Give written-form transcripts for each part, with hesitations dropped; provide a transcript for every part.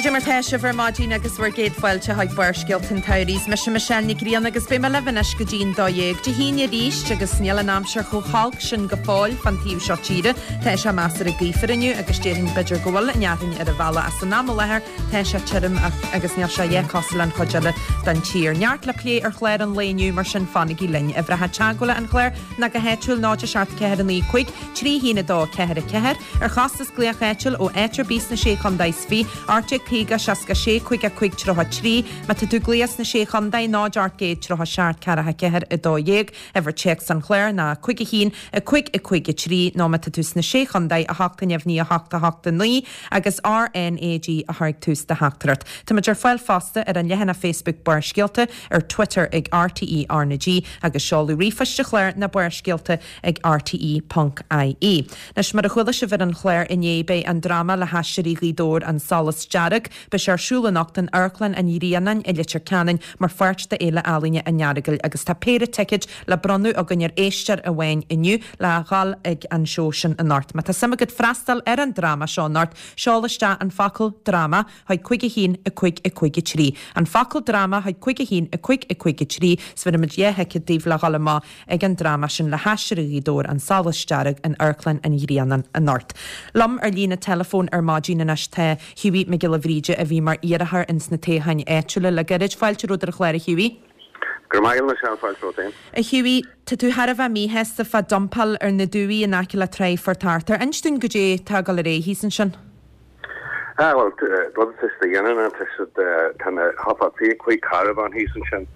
Goidé mar tá sibh ar maidin agus bhur gcéad fáilte chuig Barrscéalta an tSamhraidh. Is mise Michelle Nic Grianna agus beidh mé libh anois go dtí'n 12 Dé hAoine arís agus níl an aimsir chomh holc sin go fóill fán taobh seo tíre. Tá sé measartha gaofar inniu agus déarfainn b'fhéidir go bhfuil an fhearthainn ar an bhealach ach san am i láthair tá sé tirim agus níl sé a dhath cosúil leis an chuid eile den tír. Neart le plé ar chlár an lae inniu mar sin fanaigí linn. Uimhreacha teagmhála an chláir ná go háitiúil 0 7 4 9 5 3 1 2 4 4, ar chostas glaoch áitiúil ó áit ar bith sna Sé Chondae is 20, 1850 66 55 33, má tá tú ag glaoch sna Sé Chondae, 0 800 37 4 4 12, uimhir téacs an chláir ná 5 1 5 5 3, nó má tá tú sna Sé Chondae, 8 0 9 8 8 9, agus RNAG a chur ag tús do theachtaireacht. Táimid ar fáil fosta ar an leathanach Facebook Barrscéalta, ar Twitter ag RTÉ RnaG agus seoladh ríomhphoist an chláir ná Barrscéalta ag rte ponc ie. Anois, mar a chuala sibh ar an chlár inné, beidh an dráma le hAisteoirí Ghaoth Dobhair, An Solas Dearg, beidh sé ar siúl anocht in Amharclann an Ghrianáin i Leitir Ceanainn mar pháirt d'Fhéile Ealaíne an Earagail agus tá péire ticéid le bronnadh againn ar éisteoir amháin inniu le dhul ag an seó sin anocht. Má tá suim agat freastal ar an dráma seo anocht, seol isteach an focal 'dráma' chuig 5 1 5 5 3. An focal 'dráma' chuig 5 1 5 5 3 's bhéarfaimid dhá thicéad daoibh le dhul amach ag an dráma sin le hAisteoirí Ghaoth Dobhair, An Solas Dearg in Amharclann an Ghrianáin anocht. Liom ar líne teileafóin ar maidin anois tá Hughie Mac Giolla Bhríde a bhí mar iarrthóir ins na toghcháin áitiúla le gairid. Fáilte romhat ar an chlár a Hughie. Go raibh maith agat Michelle, fáilte romhat féin. A Hughie, tá tú thar a bheith míshásta fá dumpáil ar na dumhaigh in aice le Tráigh Phort Arthur. Inis dúinn goidé tá ag dul ar aghaidh thíos ansin. Ah, bhuel, rud atá siad a dhéanamh ná tá siad, tá na, thá 25 carbhán thíos ansin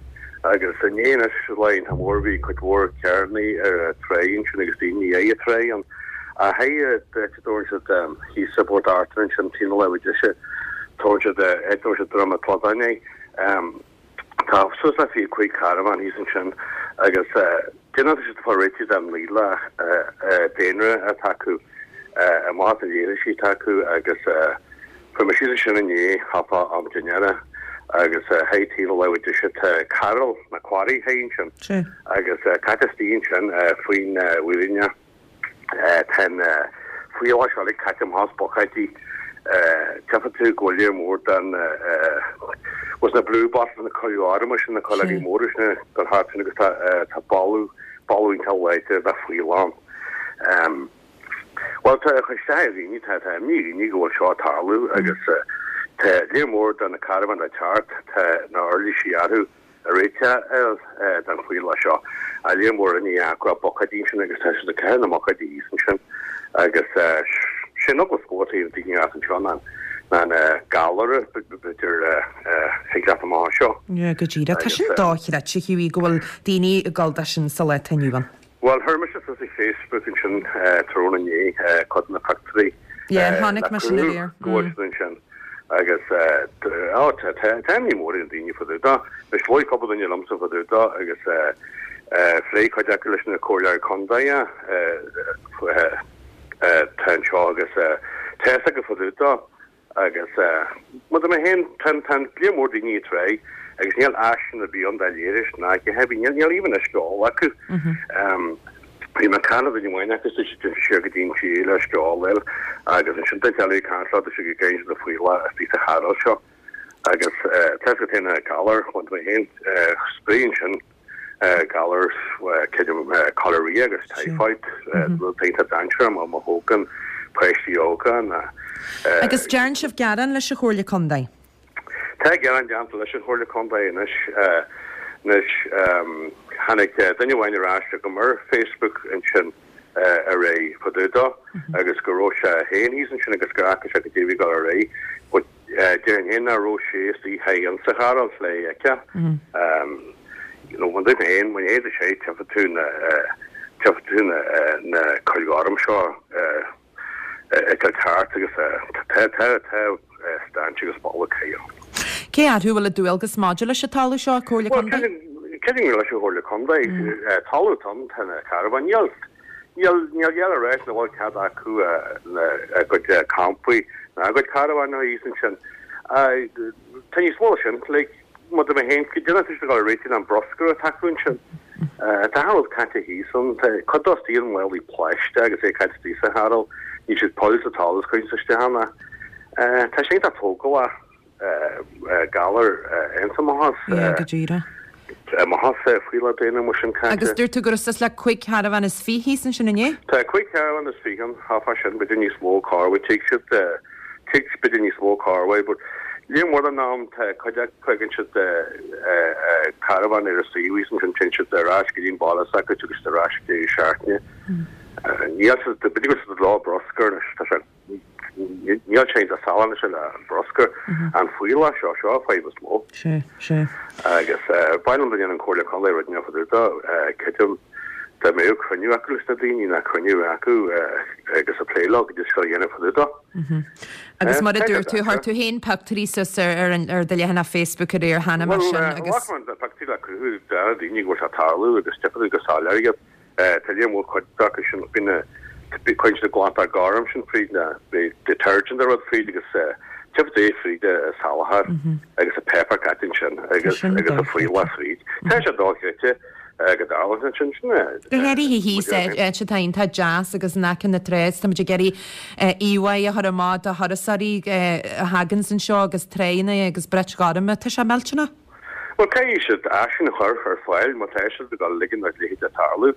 agus inné anois, lá iontach mór, bhí cuid mhór carrannaí ar an tráigh ansin agus daoine ag an tráigh ann. Ach hei, áit a dtabharann siad thíos i bPort Arthur ansin, taobh na láimhe deise, tabharann siad, áit a dtabharann siad Droim an tSladáin é. Tá suas le 25 carbhán thíos ansin agus déanann siad ag fáil réitigh den nialach daonra atá acu, amach as na leithrisí atá acu agus fuair mé síos ansin inné thart fá am dinnéara agus hei taobh na láimhe deise tá cairéal na quarry hei ansin agus caite istigh ansin faoin bhfírinne. Tá an fuíollach seo uilig caite amach as buicéidí. Tchífidh tú go bhfuil léar mór den was na blue bottles na coill arma sin na coileogaí móra sin ag dul thart sin agus tá boladh boladh iontach láidir de fuíoll ann. Bhuel tá ag cur isteach ar dhaoine tá tá imní ar dhaoine go bhfuil seo ag tarlú agus tá léar mór de na carbháin le teacht tá na uirlisí orthu. réiteach air don fuíollach seo. A léar mór inné acu a buicéidí ansin agus tá siad ag caitheamh na mbuicéidí thíos ansin agus sé an eagla is mó atá ar daoine as anseo ná ná na galair b'fhéidir thig leat amach anseo. Yeah, go díreach. Tá sin dochreidte, Hughie, go bhfuil daoine ag gabháil dó sin sa lá atá inniu ann. Bhuel, chuir mise suas ar Facebook ansin tráthnóna inné cuid de na pictiúirí Yeah, chonaic le mé sin cruthú aréir. go bhfuil siad ansin agus á tá tá imní mór ar na daoine fá dtaobh dó. Anois labhair cúpla duine liomsa fá dtaobh dó agus phléigh cuid acu leis na comhairleoirí contae atá anseo agus tá fhios acu fá dtaobh dó. Agus mar a dúirt mé féin, tá tá léar mór daoine ag tráigh agus níl áiseanna ar bith ann do leithris ná a dhath ar bith, níl even uisce óil acu. Bhí mé ag caint le duine amháin acu is dúirt sé siar go dtí an tír le uisce óil a fháil agus ansin duine eile ag caint leo dúirt sé go gcaitheann siad an fuíollach istigh sa chairéal seo. Agus tá fhios agat féin na galair, mar a dúirt mé féin, spréigh ansin. galar cholera agus typhoid, rud iontach dainséarach má thógann páistí óga ná. Agus dearn sibh gearán leis an Chomhairle Contae? Tá gearán déanta leis an Chomhairle Contae anois. Anois tháinig duine amháin ar ais chugam ar Facebook ansin aréir fá dtaobh dó agus go raibh sé féin thíos ansin agus gur fhaca sé goidé a bhí ag dul ar aghaidh but Déarfainn féin nach raibh sé istigh thiar insa chairéal le é a fheiceáil. You know, mar a dúirt mé féin, má théann sé, tchífidh tú na, tchífidh tú na, na coill ghorm seo ag dul thart agus tá, tá, tá stench agus boladh caith ann. Cé orthu a bhfuil an dualgas maidir leis an talamh seo, Comhairle Contae? Bhuel, creidim gur leis an Chomhairle Contae. Talamh atá ann, tá na carbháin. Níl, Níl a dhath le ráit nach bhfuil cead acu a gcuid campaí ná a gcuid carbhán a thíos ansin. Tá níos mó ná sin, like, mar a dúirt mé féin, goidé atá siad ag dul a réiteach an bruscar atá acu ansin. Tá achan rud caite thíos ann, tá cuid dó istigh i málaí plaisteach agus é caite istigh sa chairéal, níl siad poill sa talamh is cuireann siad isteach ann é. Tá sé iontach tógálach. galar ionsamachas. Yeah, go díreach. Amachas fuíollach daonna mar sin caite. Agus dúirt tú go raibh suas le 25 carbhán thíos ansin inné? Tá 25 carbhán ann, thá sin, b'fhéidir níos mó corruair, tig siad, tig b'fhéidir níos mó corruair, but líon mór den am tá cuid acu fágann siad carbhán ar an suíomh thíos ansin, téann siad ar ais go dtí an baile s'acu agus ar ais go deireadh seachtaine. Níl siad, b'fhéidir go bhfuil siad ag ló bruscar anois, tá sé Níl sé iontach salach anois le bruscar. An fuíollach seo, seo an fadhb is mó. Sea, sea. Agus ba mhaith liom dá ndéanfadh an Comhairle Contae rud inteacht fá dtaobh dó. Creidim dá mbeadh cruinniú acu leis na daoine, ná cruinniú acu agus ag plé leo goidé is féidir a dhéanamh fá dtaobh dó. Agus mar a dúirt tú, chuir tú féin pioctúirí suas ar ar do leathanach Facebook aréir cheana mar sin agus. Bhuel, ghlac mé na pioctúirí le cruthú do na daoine go bhfuil sé ag tarlú agus tchífidh tú go soiléir iad. Tá líon mhór cuid acu sin bíonn na cuireann siad an glantach gorm sin fríd na detergent nó rud fríd agus tchífidh tú é fríd an salachar agus an páipéar caite ansin agus agus an fuíollach fríd. Tá sé dochreidte go dtarlaíonn ansin sin é. Go háirithe thíos áit atá iontach deas agus in aice na trá is táimid ag iarraidh íomhá a chur amach do thurasóirí a thaganns anseo agus tráigheanna agus brioit ghorma. Tá sé millteanach. Bhuel, caithfidh siad áiseanna a chur ar fáil má tá siad ag dul a ligean dá leithéid a tarlú.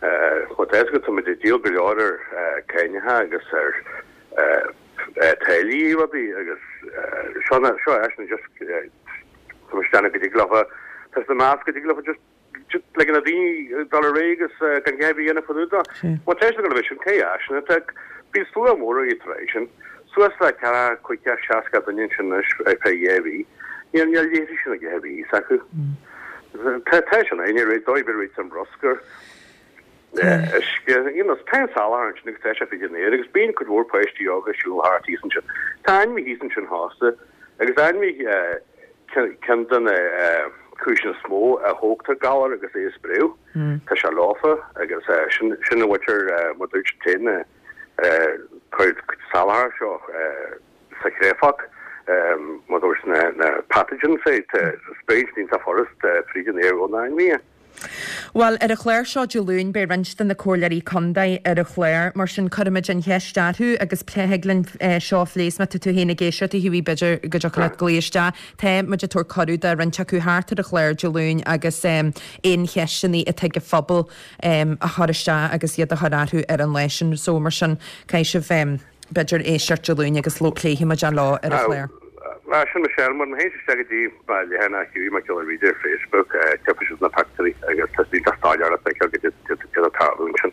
Má tá fhios agat, tá muid ag díol go leor ar cáineacha agus ar táillí rudaí agus seo seo áiseanna just tá muid ag déanamh go dtig leofa, tá siad ag meas go dtig leofa just just ligean do daoine dul ar aghaidh agus gan a dhath ar bith a dhéanamh fá dtaobh dó. Má tá siad ag dul a bheith sin, caithfidh áiseanna, tá bíonn slua mór ag an tráigh sin. Suas le ceathracha, 50, 60 duine ansin anois ar feadh dhá mhí. Níl níl leithris ná a dhath ar bith acu. Tá tá sin é, ní raibh dóigh ar bith an bruscar, uisce, you know, tá an salachar ansin agus tá sé fríd an aer agus bíonn cuid mhór páistí óga ag siúl thart thíos ansin. Tá ainmhithe thíos ansin fosta agus ainmhithe ceann de na cúiseanna is mó a thógtar galar agus é a spréadh. Tá sé leofa agus sin sin a bhfaightear mar dúirt téann na Cuir salachar seo sa chréafach, mar dúirt na pathogens é, spréann siad iontach furast fríd an aer ó na hainmhithe. Bhuel, ar an chlár seo Dé Luain beidh roinnt de na comhairleoirí contae ar an chlár, mar sin cuirfimid an cheist orthu agus thig linn seo a phlé is má tá tú féin ag éisteacht a Hughie b'fhéidir go dtiocfadh leat glaoch isteach. Tá muid ag tabhairt cuireadh do roinnt acu theacht ar an chlár Dé Luain agus aon cheisteanna atá ag an phobal a chur isteach agus iad a chur orthu ar an lá sin. So mar sin, caithfidh sibh b'fhéidir éisteacht Dé Luain agus pléifidh muid é leo ar an chlár. Á, sin Michelle, mura théann sibh isteach go dtí mo leathanach Hughie Mac Giolla Bhríde ar Facebook, tchífidh sibh na pictiúirí agus tá siad iontach soiléir le feiceáil goidé atá ag tarlú ansin.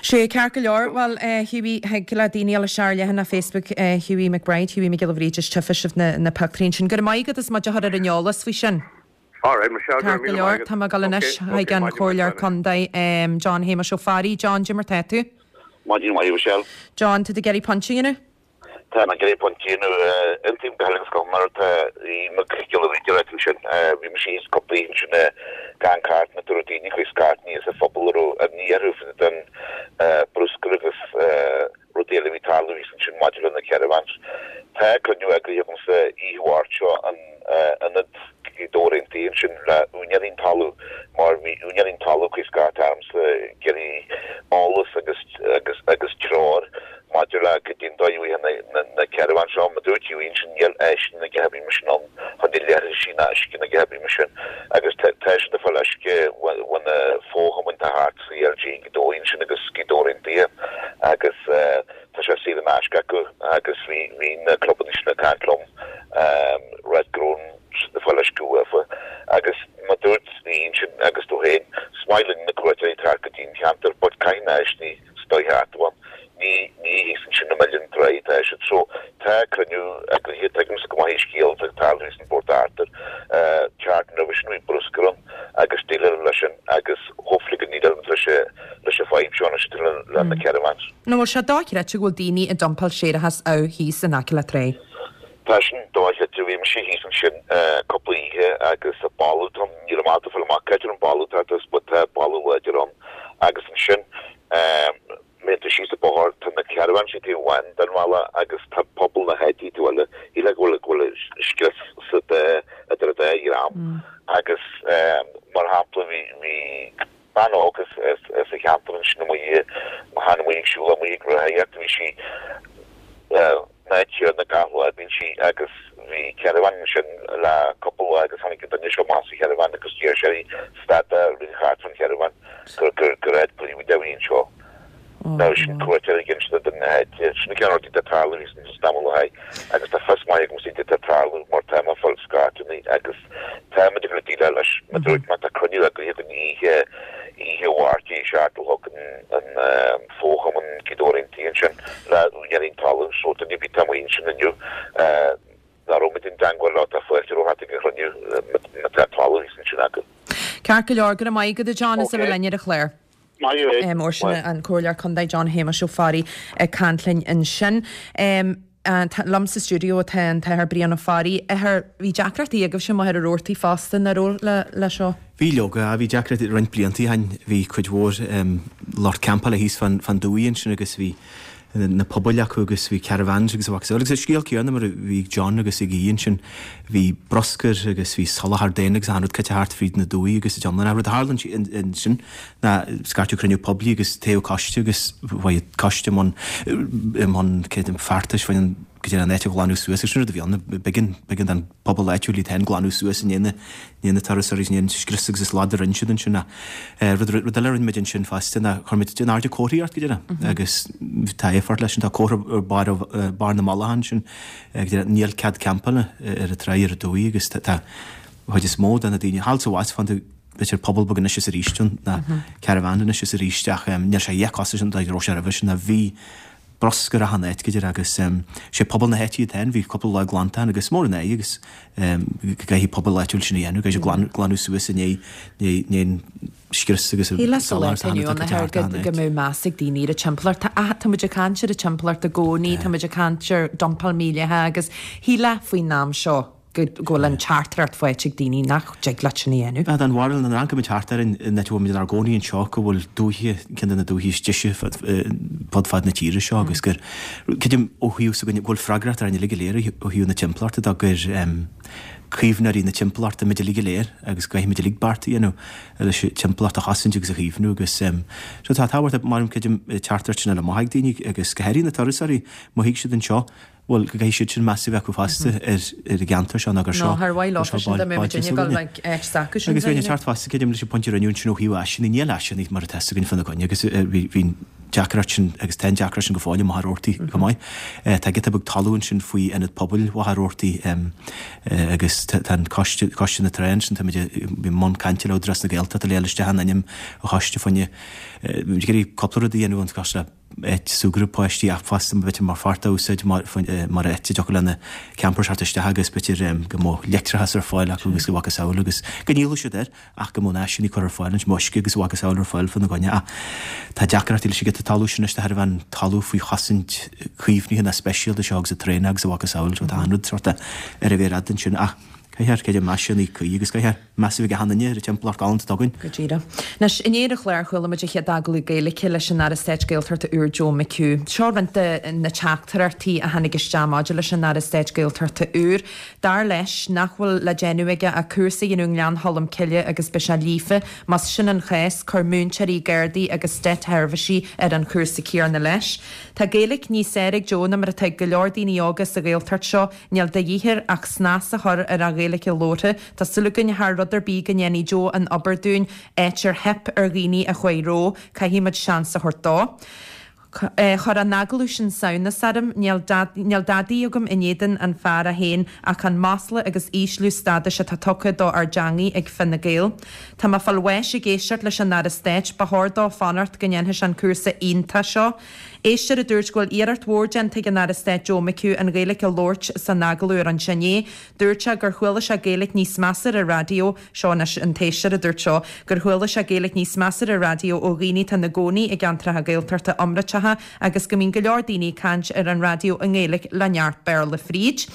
Sea, ceart go leor. Bhuel, Hughie, thig le daoine a dhul isteach ar leathanach Facebook Hughie McBride, Hughie Mac Giolla Bhríde, is tchífidh sibh na pictiúirí ansin. Go raibh maith agat as muid a chur ar an eolas faoi sin. Alright, Michelle, go raibh míle maith agat. Tá mé ag dul anois chuig an Chomhairleoir Contae, John Shéamuis Ó Fearraigh. John, goidé mar tá tú? Maidin mhaith, Michelle. John, tá tú ag iarraidh pointe a dhéanamh? Tá mé ag iarraidh pointe a dhéanamh. Aontaím go huile is go hiomlán le Aodh Mac Giolla Bhríde a ráit ansin. Bhí mise thíos cúpla oíche ansin gan cartlann go raibh daoine ag cur scairteanna as an phobal a raibh imní orthu fá dtaobh den bruscar agus Rud eile a bhí ag tarlú thíos ansin maidir le na caravans. Tá cruinniú eagraithe agamsa oíche Mháirt seo in ionad Ghaoth Dobhair Aontaithe ansin le úinéirí an talaimh mar bhí úinéirí an talaimh ag cur scairt ormsa ag iarraidh eolas agus agus agus treoir maidir le goidé an dóigh a bhfaighidh na na caravans seo. Mar dúirt Hughie ansin níl áiseanna ná a dhath ar bith mar sin ann chun na leithrisí ná uisce ná a dhath ar bith mar sin agus tá tá siad ag fáil uisce ó na fo-chumainn atá thart. CLG Gaoth Dobhair ansin agus Gaoth Dobhair Aontaithe agus tá sé saor in aisce acu agus bhí bhí na clubanna sin ag caint liom ráit go raibh siad ag fáil uisce uafa agus mar dúirt Aodh ansin agus tú féin, is maith linn na cuairteoirí ag teacht go dtí an cheantar but caithfidh na háiseanna sa dóigh cheart a bheith ann. Ní ní thíos ansin i mBaile na Trá atá siad. So tá cruinniú eagraithe, tuigimse go maith an scéal atá ag tarlú thíos in Port Arthur. Tseachtain roimhe sin bhí bruscar ann agus déileáladh leis sin agus hopefully go ndéileálfaidh muid leis leis an fadhb seo anois atá le na caravans. An bhfuil sé dochreidte go bhfuil daoine ag dumpáil séarachas amh thíos in aice le trá? Tá sin dochreidte. Bhí mise thíos ansin cúpla oíche agus boladh ann, níl mé ábalta fáil amach cá háit an boladh atá ort but tá boladh láidir ann agus ansin Má théann tú síos an bóthar, tá na caravans taobh amháin den bhealach agus tá pobal na háite taobh eile. Shílfeá go bhfuil go bhfuil scrios sa dá idir an dá dhream. Agus mar shampla bhí bhí bean óg as as as an cheantar ansin amuigh tháinig amuigh ag siúl amuigh ag rothaíocht bhí sí. san áit chéanna gach lá bíonn sí agus bhí caravan ansin le cúpla lá agus tháinig an duine seo amach as an charavan agus d'iarr sé uirthi stad a rith thart fán charavan gur gur gur áit príobháideach a bhí anseo. Now sin cuairteoir ag inse don áit sin ceann rudaí atá ag tarlú thíos ansin tamall ó shin agus tá fios maith agam goidé atá ag tarlú mar tá mé ag fáil scairteanna agus tá muid ag déileáil leis mar dúirt mé tá cruinniú eagraithe againn oíche oíche Mháirt ag 7 a chlog in an Fóchumann Gaoth Dobhair Aontaithe ansin le úinéirí an talaimh so duine ar bith atá amuigh ansin inniu nach raibh muid i dteangmháil leo tá fáilte romhat ag an chruinniú má tá talamh thíos ansin acu. Ceart go leor, go raibh maith agat a John as a bheith linn ar an chlár. Maith thú. Mar sin an Comhairleoir Contae John Shéamuis Ó Fearraigh ag caint linn ansin. Liom sa stiúideo tá an tAthair Brian Ó Fearraigh. Athair, bhí deacrachtaí agaibhse i Machaire Rabhartaigh fosta, nach raibh, le seo? Bhí leoga, bhí deacrachtaí roinnt blianta ó shin. Bhí cuid mhór lucht campála thíos fán dumhaigh ansin agus bhí na pubaill acu agus bhí caravans agus a mhacasamhail. Agus an scéal céanna mar a bhí ag John agus ag Aodh ansin, bhí bruscar agus bhí salachar daonna agus achan rud caite thart fríd na dumhaigh agus an iomlán. Ach rud a tharla ansin ná scairteadh cruinniú poiblí agus toghadh coiste agus chuaigh an coiste i mbun i mbun feachtais faoin go dtí an áit a ghlanadh suas agus sin rud a bhí ann, b'éigean b'éigean don pobal áitiúil iad féin glanadh suas i ndiaidh na ndiaidh na turasóirí i ndiaidh an scrios agus an slad a rinne siad ansin ach rud rud eile a rinne muid ansin fosta ná chuir muid in airde comharthaíocht go deireadh agus tá éifeacht leis sin tá comhartha ar barr barr na mullach ansin go deireadh níl cead campála ar an tráigh ar an dumhaigh agus tá tá chuid is mó de na daoine thall sa bhfas fán b'fhéidir puball beag anois is arís ann, ná caravan anois is arís ach níl sé a dhath cosúil leis an dóigh a raibh sé roimhe sin ná bhí bruscar achan áit go deireadh agus sé pobal na háite iad féin, bhí cúpla lá glantacháin agus mór an ádh agus go gcaithfidh pobal áitiúil sin a dhéanamh, go gcaithfidh siad glanadh suas i ndiaidh ndiaidh an scrios agus an Shílfeá sa lá atá inniu ann go go mbeadh meas ag daoine ar an timpeallacht. Tá muid ag caint ar an timpeallacht i gcónaí, tá muid ag caint ar dumpáil mílleathach agus shílfeá faoin am seo go bhfuil an teachtaireacht faighte ag daoine nach dtig leat sin a dhéanamh. Tá an bharúil nuair a amharcaimid thart ar an áit a bhfuil muid inár gcónaí anseo go bhfuil dúiche, ceann de na dúichí is deise fud fad na tíre seo agus gur, creidim ó thaobh s'againne, go bhfuil freagracht orainn uilig go léir ó thaobh na timpeallachta de, gur caomhnóirí na timpeallachta muid uilig go léir agus go gcaithfimid uilig beart a dhéanamh leis an timpeallacht a chosaint agus a chaomhnú agus so tá tábhacht, mar creidim, teachtaireacht sin a fháil amach ag daoine agus go háirithe na turasóirí, má thig siad anseo Bhuel, go gcaithfidh siad sin meas a bheith acu fosta ar an gceantar seo nó gur seo Nó ar mhaith leofa sin dá mbeadh muid ag dul ag áit s'acu sin Agus bheinn ag teacht fosta, creidim, leis an pointe a rinneadh ansin ó thaobh áiseanna. Níl áiseanna mar atá againn fána gcoinne agus bhí an deacracht sin agus tá an deacracht sin go fóill i Machaire Rabhartaigh chomh maith. Tá giota beag talún ansin faoi ionad pobail Mhachaire Rabhartaigh agus tá an coiste, Coiste na Trá ansin, táimid i mbun cainte le Údarás na Gaeltachta le fháil isteach in ainm an choiste fá choinne, bhí muid ag iarraidh cúpla rud a dhéanamh an coiste le áit súgradh páistí ach fosta b'fhéidir mar pháirt a úsáid mar áit a dtiocfadh le na campers theacht isteach agus b'fhéidir go mbeadh leictreachas ar fáil acu agus a mhacasamhail agus go ndíolfadh siad air ach go mbeadh na háiseanna curtha ar fáil anois, uisce agus a mhacasamhail ar fáil fána gcoinne ach tá deacrachtaí leis an gciota talún sin anois de thairbhe an talamh faoi chosaint caomhnaithe ná speisialta seo agus an traein agus a mhacasamhail so tá an rud sort ar a mhéar fhada ansin ach caithfear creidim áiseanna cuí agus caithfear Meas a bheith ag achan duine ar an timpeallacht ghalánta atá againn. Go díreach. Anois, inné ar an chlár chuala muid an chéad agallamh Gaeilge leis an Aire Stáit Gaeltachta úr Joe McHugh. Seo roinnt de na teachtaireachtaí a tháinig isteach maidir leis an Aire Stáit Gaeltachta úr. Dar leis nach bhfuil le déanamh aige ach cúrsa a dhéanamh i nGleann Cholm Cille agus beidh sé líofa. Más sin an chás, cuir múinteoirí, gardaí agus státsheirbhísigh ar an chúrsa céanna leis. Tá Gaeilge níos fearr ag Joe ná mar atá ag go leor daoine óga sa Ghaeltacht seo. Níl de dhíth air ach snas a chur ar a Ghaeilge labhartha. Tá súil againn thar rud ar bith go ndéanfaidh Joe an obair dúinn, áit ar theip ar dhaoine a chuaigh rompu. Caithfidh muid seans a thabhairt dó. Chuir an agallamh sin samhnas orm. Níl níl dadaí agam in éadan an fear é féin ach an masla agus ísliú stádais atá tugtha do ár dteangaidh ag Fine Gael. Tá mé fáil bháis ag éisteacht leis an Aire Stáit. Ba chóir dó fanacht go ndéanfaidh sé an cúrsa iontach seo. Éisteoir a dúirt go bhfuil iarracht mhór déanta ag an Aire Stáit Joe McHugh an Ghaeilge a labhairt san agallamh a rinne sé inné. Dúirt sé gur chuala sé Gaeilge níos measa ar an raidió, seo anois an t-éisteoir a dúirt seo, gur chuala sé Gaeilge níos measa ar an raidió ó dhaoine atá ina gcónaí i gceantracha Gaeltachta iomráiteacha agus go mbíonn go leor daoine ag caint ar an raidió i nGaeilge le neart Béarla fríd.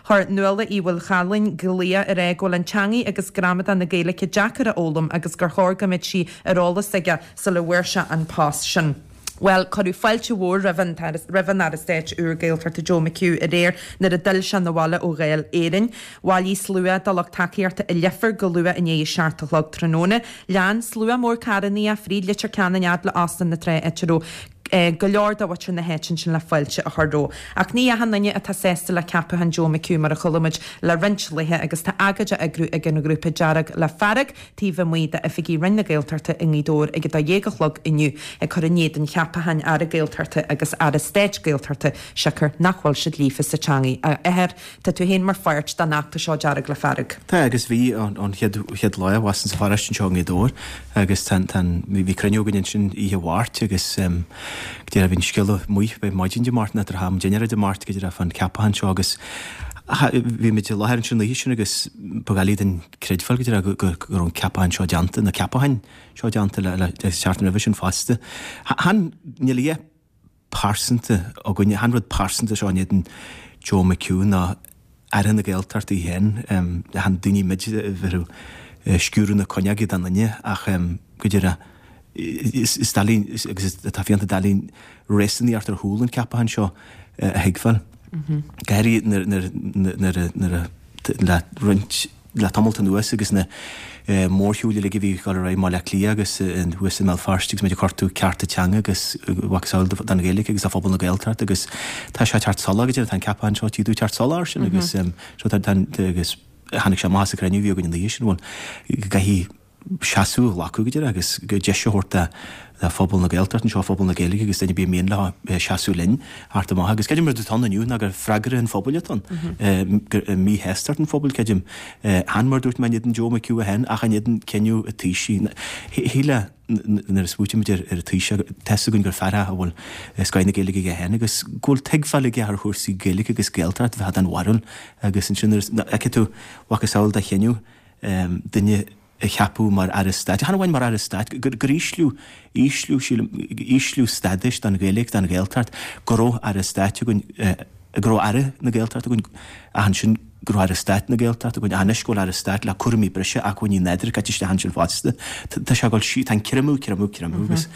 Chuir Nuala Uí Mhaolchalláin glaoch ar aghaidh go bhfuil an teangaidh agus gramadach na Gaeilge deacair a fhoghlaim agus gur chóir go mbeadh sí ar eolas aige sula bhfuair sé an post sin. Bhuel, cuireadh fáilte mhór roimh an roimh an Aire Stáit úr Gaeltachta Joe McHugh aréir nuair a d'fhill sé 'na bhaile ó Dháil Éireann. Bhailigh slua de lucht tacaíochta i Leifear go luath i ndiaidh a seacht a chlog tráthnóna. Lean slua mór carrannaí é fríd Leitir Ceanainn fhad le Óstán na Trá áit a raibh. Go leor de mhuintir na háite ansin le fáilte a chur roimhe. Ach ní achan duine atá sásta le ceapachán Joe McHugh mar a chuala muid le roinnt laethe agus tá agóid á eagrú ag an ghrúpa Dearg le Fearg taobh amuigh d'oifigí Roinn na Gaeltachta i nGaoth Dobhair ag 12 a chlog inniu ag cur in éadan cheapacháin Aire Gaeltachta agus Aire Stáit Gaeltachta siocair nach bhfuil siad líofa sa teangaidh. A Athair, tá tú féin mar pháirt den fheachtas seo Dearg le Fearg. Tá agus bhí ón chéad chéad lá a bhíos sa pharóiste anseo i nGaoth Dobhair agus tá tá an bhí cruinniú againn ansin oíche Mháirt agus go díreach bhí an scéal amuigh b'é maidin Dé Máirt nó tráthnóna dinnéara Dé Máirt go díreach fán ceapachán seo agus bhí muid i láthair ansin an oíche sin agus ba dhoiligh duinn creidbheáil go díreach go go go raibh an ceapachán seo déanta na ceapacháin seo déanta le le seachtain roimhe sin fosta. Chan níl a dhath pearsanta againne. Chan rud pearsanta seo in éadan Joe McHugh ná Aire na Gaeltachta í féin. Chan daoine muid a bheadh ag sciúradh na cuinneoige don duine ach go díreach is doiligh agus tá fiánta doiligh réasúnaíocht ar chúl an cheapacháin seo a thuigbheáil. Go háirithe nuair a le roinnt le tamalt anuas agus na mórshiúil uilig a bhí ag dul ar aghaidh i mBaile Átha Cliath agus thuas i mBéal Feirste agus muid ag cuartú cearta teanga agus mhacasamhail don Ghaeilge agus do phobal na Gaeltachta agus tá sé ag teacht soiléir go deireadh, tá an ceapachán seo tí teacht soiléir sin agus seo tá agus tháinig sé amach sa chruinniú a bhí againn an oíche sin bhuel go gcaithfidh seasamh a ghlacadh go deireadh agus go deis a thabhairt do phobal na Gaeltachta anseo, phobal na Gaeilge agus duine ar bith ar mian leo seasamh linn theacht amach. Agus creidim rud atá ann inniu ná gur freagra an phobail atá ann, gur míshástacht an phobail, creidim. Chan mar a dúirt mé in éadan Joe McHugh féin ach in éadan cinneadh an Taoisigh. Shílfeá nuair a smaoitímid ar an Taoiseach, tá fhios againn gur fear é a bhfuil scoith na Gaeilge aige féin agus go bhfuil tuigbheáil aige ar chúrsaí Gaeilge agus Gaeltacht bheith den bharúil agus ansin nuair a fheicfidh tú macasamhail de chinneadh duine a cheapadh mar Aire Stáit, chan amháin mar Aire Stáit, gur ísliú, ísliú, sílim, ísliú stádais don Ghaeilge, don Ghaeltacht, go raibh Aire Stáit againn, go raibh Aire na Gaeltachta againn, ach ansin go raibh Aire Stáit na Gaeltachta againn, ach anois go bhfuil Aire Stáit le cúraimí breise, acmhainní nádúrtha caite isteach ansin fosta. Tá sé ag dul sí, tá an creimeadh, creimeadh, creimeadh agus.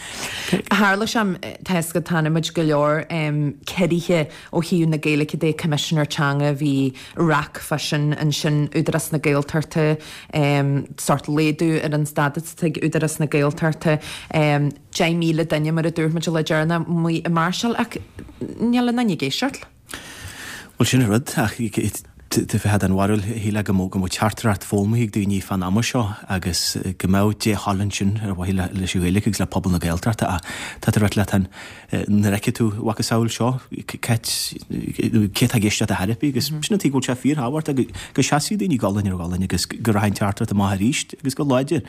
Tharla sé, tá fhios agat, tá muid go leor ciorruithe ó thaobh na Gaeilge de, Coimisinéir Teanga, bhí raic fá sin ansin, Údarás na Gaeltachta, sórt laghdú ar an stádas atá ag Údarás na Gaeltachta, 10,000 duine mar a dúirt muid le deireanas amuigh ag máirseáil ach níl aon duine ag éisteacht. Bhuel sin an rud ach tá bheifeá den bharúil shílfeá go mbeadh go mbeadh teachtaireacht foghlamtha ag daoine fán ama seo agus go mbeadh dea-thoil ansin ar mhaithe leis an Ghaeilge agus le pobal na Gaeltachta ach tá tú ag ráit leat an Nuair a fheicfidh tú macasamhail seo, cé atá ag éisteacht ar chor ar bith agus sin an tuige go bhfuil sé fíorthábhachtach go seasfaidh daoine gualainn ar ghualainn agus go rachaidh an teachtaireacht amach arís agus go láidir.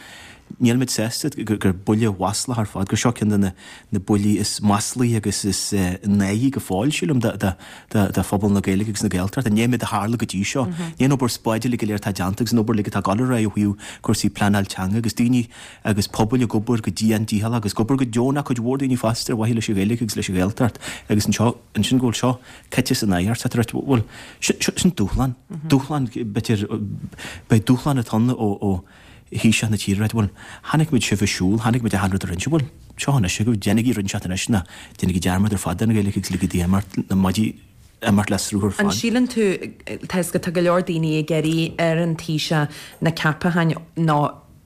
Níl muid sásta gur buille mhaslach ar fad, gur seo ceann de na buillí is maslaí agus is náirí go fóill, sílim, do phobal na Gaeilge agus na Gaeltachta. I ndiaidh an méid a tharla go dtí seo, i ndiaidh an obair spáid uilig go léir atá déanta agus an obair uilig atá ag dul ar aghaidh ó thaobh cúrsaí pleanáil teanga agus daoine agus pobail ag obair go dian dícheallach agus ag obair go deonach cuid mhór daoine fosta ar mhaithe leis an Ghaeilge agus leis an Ghaeltacht agus anseo ansin go bhfuil seo caite san adharc tá tú ag ráit bhuel sin dúshlán, dúshlán b'fhéidir beidh dúshlán atá ann ó ó Thaoiseach na tíre ag ráit bhuel chonaic muid sibh ag siúl, chonaic muid achan rud a rinne sibh bhuel seo anois agaibh déanaigí rud inteacht anois nó déanaigí dearmad ar fad den Ghaeilge agus ligigí di imeacht na maidí imeacht le sruth ar An fad. síleann tú, tá fhios agat tá go leor daoine ag iarraidh ar an Taoiseach na ceapacháin nó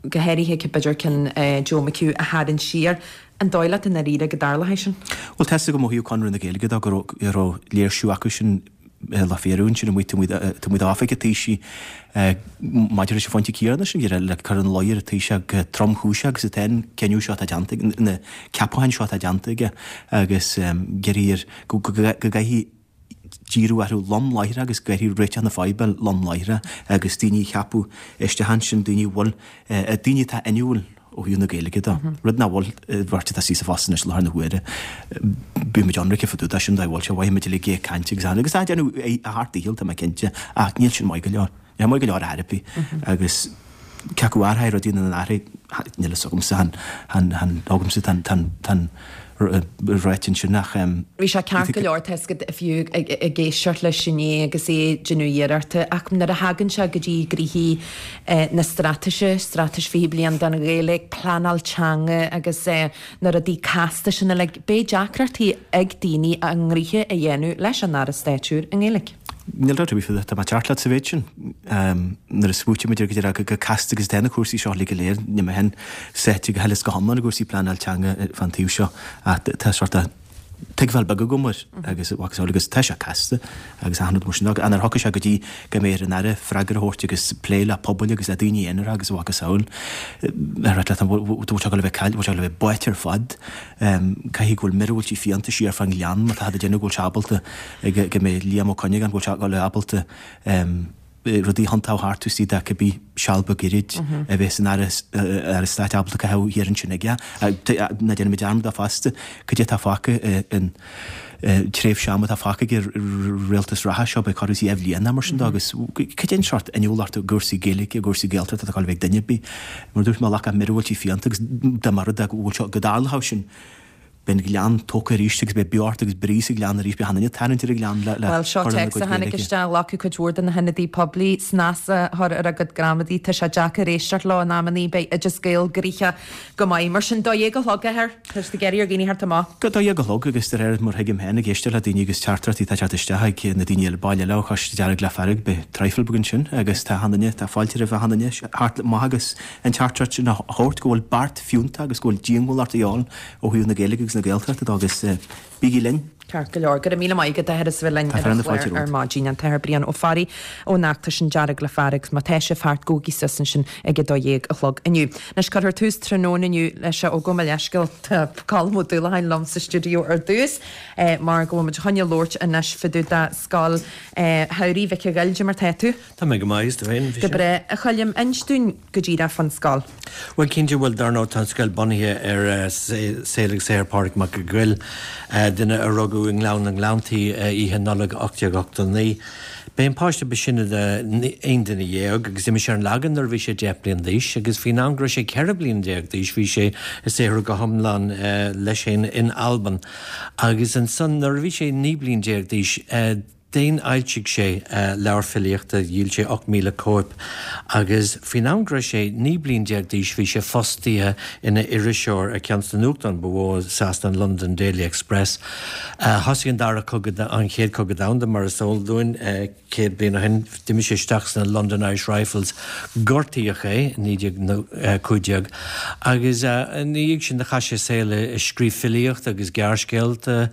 go háirithe b'fhéidir ceann Joe McHugh a tharraingt siar. An dóigh leat i ndáiríre go dtarlóidh sin? Bhuel, tá fhios agam ó thaobh Conradh na Gaeilge de go raibh léirsiú acu sin le fíorú ansin amuigh taobh amuigh d'oifig an Taoisigh maidir leis an phointe céanna sin, le cur ina luí ar an Taoiseach chomh tromchúiseach agus atá an cinneadh seo atá déanta, na ceapacháin seo atá déanta aige agus d'iarraidh air go gcaithfidh díriú orthu lom láithreach agus go gcaithfidh réiteach na faidhbe lom láithreach agus daoine a cheapadh isteach ansin, daoine a bhfuil, daoine atá inniúil ó thaobh na Gaeilge de, rud nach bhfuil bheirt atá suas sa phost anois i láthair na huaire. Bíonn muid ionraic fá dtaobh de sin, dá bhfuil sé, mhaith muid uilig ag caint agus agus tá déanamh a sheacht dícheall, tá mé cinnte, ach níl sin maith go leor. Níl maith go leor ar chor ar bith agus cé acu athraigh rudaí nó nár athraigh, níl fhios agamsa, chan, chan, agamsa tá an, tá an ráite ansin ach. Bhí sé ceart go leor tá fhios agat fiú ag éisteacht leis inné agus é ag déanamh iarrachta ach nuair a thagann sé go dtí gnoithí na straitéise, Straitéis 20 Bliain don Ghaeilge, pleanáil teanga agus na rudaí casta sin uilig, beidh deacrachtaí ag daoine a ngnoithe a dhéanamh leis an Aire Stáit úr i nGaeilge. Níl dabht ar bith faoi, tá mé ag teacht leat sa mhéid sin. Nuair a smaoitímid ar go chomh casta agus atá na cúrsaí seo uilig go léir, níl mé féin sáite go huile is go hiomlán i gcúrsaí pleanáil teanga fán taobh seo ach tá sort of. tuigbheáil beag agam air agus a mhacasamhail agus tá sé casta agus achan rud mar sin de ach nuair a thiocfaidh sé go dtí go mbeidh ar an Aire freagra a thabhairt agus plé le pobail agus le daoine aonair agus a mhacasamhail ar leat an bhfuil sé ag dul a bheith caillte, bhfuil sé ag dul a bheith báite ar fad. Caithfidh go bhfuil miorúiltí fiánta siar fán ghleann má tá ag déanamh go bhfuil sé ábalta go mbeidh Liam Ó Cuinneagáin go bhfuil sé ag dul a bheith ábalta rudaí a thiontú thart taobh istigh de cibé seal beag gairid a bheas an Aire Stáit ábalta caitheamh thiar ansin aige. Ná déanfaimid dearmad de fosta, cad é atá fágtha in tréimhse ama atá fágtha ag an rialtas reatha seo, beidh corradh is a bhliain nó mar sin de agus cad é an seort inniúlacht i gcúrsaí Gaeilge, i gcúrsaí Gaeltachta atá ag dul a bheith ag duine ar bith. Mar a dúirt mé, ghlacfadh míorúiltí fiánta agus dá mba rud é go bhfuil seo, go dtarlódh sin, Beidh an Gleann tógtha arís agus beidh beocht agus brí sa Ghleann arís. Beidh achan duine ag tarraingt ar an Ghleann le Bhuel, seo cur lena téacs gcuid a tháinig Gaeilge. isteach, Ghlacfadh cuid mhór de na hionadaí poiblí snas a chur ar a gcuid gramadaí. Tá sé deacair éisteacht leo in amannaí. Beidh Oideas Gael gnoitheach go maith. Mar sin, 12 a chlog, a Athair. Tá siad ag iarraidh ar dhaoine theacht amach. Go 12 a chlog agus de réir mar thuigim féin ag éisteacht le daoine agus teachtaireachtaí atá ag teacht isteach ag na daoine eile baill eile ó Choiste Dearg le Fearg, beidh traidhfil beag ansin agus tá achan duine, tá fáilte roimh achan duine theacht amach agus an teachtaireacht sin a thabhairt go bhfuil beart fiúntach agus go bhfuil diongbhálacht a dhíobháil ó thaobh na Gaeilge agus na Gaeltachta de agus bígí linn! Ceart go leor. Go raibh míle maith agat, a Athair, as a bheith linn Tá ar fear an na fáilte chlár ar romhat. maidin. An tAthair Brian Ó Fearraigh ón fheachtas sin Dearg le Fearg. Má tá sibh thart, gabhaigí suas ansin ag 12 a chlog inniu. Anois, cuirfear tús tráthnóna inniu leis ó gabh mo leithscéal, tá Colm Ó Dúlacháin liom sa stiúideo ar dtús mar go bhfuil muid chun labhairt anois fá dtaobh de Scoil Shamhraidh Mhic a' Ghoill. Cad é mar tá tú? Tá mé go maith, is tú féin? Go breá, a Choilm. Inis dúinn go díreach fán scoil. Bhuel, cinnte, bhuel, dar ndóigh, tá an scoil bunaithe ar saol agus saothar Pádraig Mac a' Ghoill, duine a rugadh i nGleann na nGleanntaí oíche Nollag 1889. B'é an páiste ba sine de aon duine dhéag agus d'imigh sé ar an Lagan nuair a bhí sé 10 bliain d'aois agus faoin am go raibh sé 14 bliain d'aois bhí sé ag saothrú go hiomlán leis féin in Albain agus ansan nuair a bhí sé 19 bliain d'aois D'fhéin-fhoilsigh sé leabhar filíochta, dhíol sé 8,000 cóip, agus faoin am go raibh sé 19 bliain d'aois bhí sé fostaithe ina iriseoir ar cheann de na nuachtáin ba mhó i Sasana, an London Daily Express. Thosaigh an Dara Cogadh, an Chéad Chogadh Domhanda mar is eol dúinn, 100 bliain ó shin. D'imigh sé isteach sna London Irish Rifles, gortaíodh é i 1915 agus ina dhiaidh sin do chaith sé a saol ag scríobh filíochta agus gearrscéalta,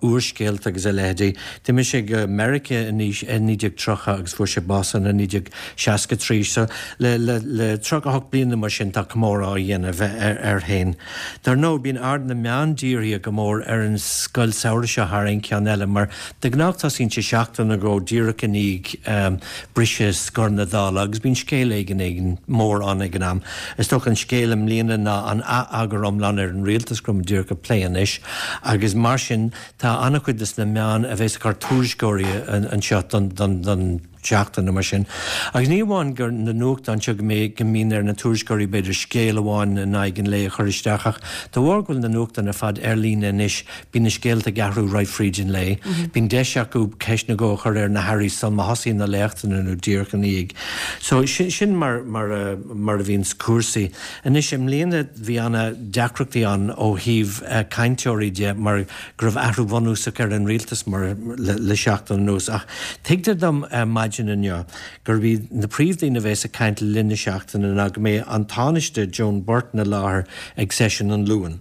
úrscéalta agus a leithéidí. D'imigh sé go Meiriceá i 1930 agus fuair sé bás ann i 1963. So le le 38 bliain nó mar sin tá comóradh á dhéanamh air féin. Dar ndóigh bíonn aird na meán dírithe go mór ar an scoil samhraidh seo thar aon cheann eile mar de ghnáth tosaíonn sé seachtain nó dhó díreach i ndiaidh briseadh scor na Dála agus bíonn scéal éigin éigin mór ann ag an am. Is dócha an scéal i mbliana ná an ath-eagar iomlán ar an rialtas go raibh muid díreach ag plé anois agus mar sin tá an-chuid de na meáin a bheas ag cur tuairisceoirí anseo don don tseachtain nó mar sin. Agus ní amháin gur na nuachtáin seo go mbeidh go mbíonn ar na tuairisceoirí b'fhéidir scéal amháin in aghaidh an lae a chur isteach ach de bharr go bhfuil na nuachtáin ar fad ar líne anois Bíonn na scéalta ag athrú right fríd an lae. Bíonn deis acu ceist nó dhó a chur ar na hairí sul má thosaíonn na léachtanna nó díreach ina dhiaidh. So sin mar mar a mar a bhíonns cúrsaí. Anois i mbliana bhí ana deacrachtaí ann ó thaobh cainteoirí de mar go raibh athrú bhunúsach ar an rialtas mar le le seachtain anuas ach tuigtear dom maidin inniu gurb iad na príomhdaoine a bheas ag caint le linn na seachtaine ná go mbeidh an Tánaiste Joan Burton i láthair ag seisiún an Luain.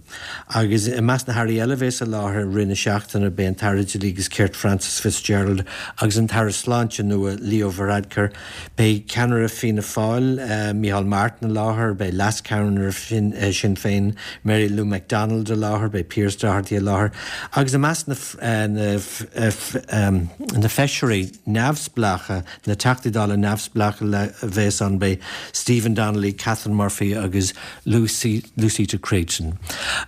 Agus i measc na hairí eile a bheas i láthair i rith na seachtaine beidh an tAire Dlí agus Cirt Frances Fitzgerald agus an tAire Sláinte nua Leo Varadkar. Beidh ceannaire Fianna Fáil Micheál Martin i láthair, beidh leascheannaire Sinn Féin Mary Lou McDonald i láthair, beidh Pearse Doherty i láthair agus i measc na na feisirí neamhspleácha, na Teachtaí Dála neamhspleácha a bheas ann beidh Stephen Donnelly, Catherine Murphy agus Lucy, Lucietta Creighton.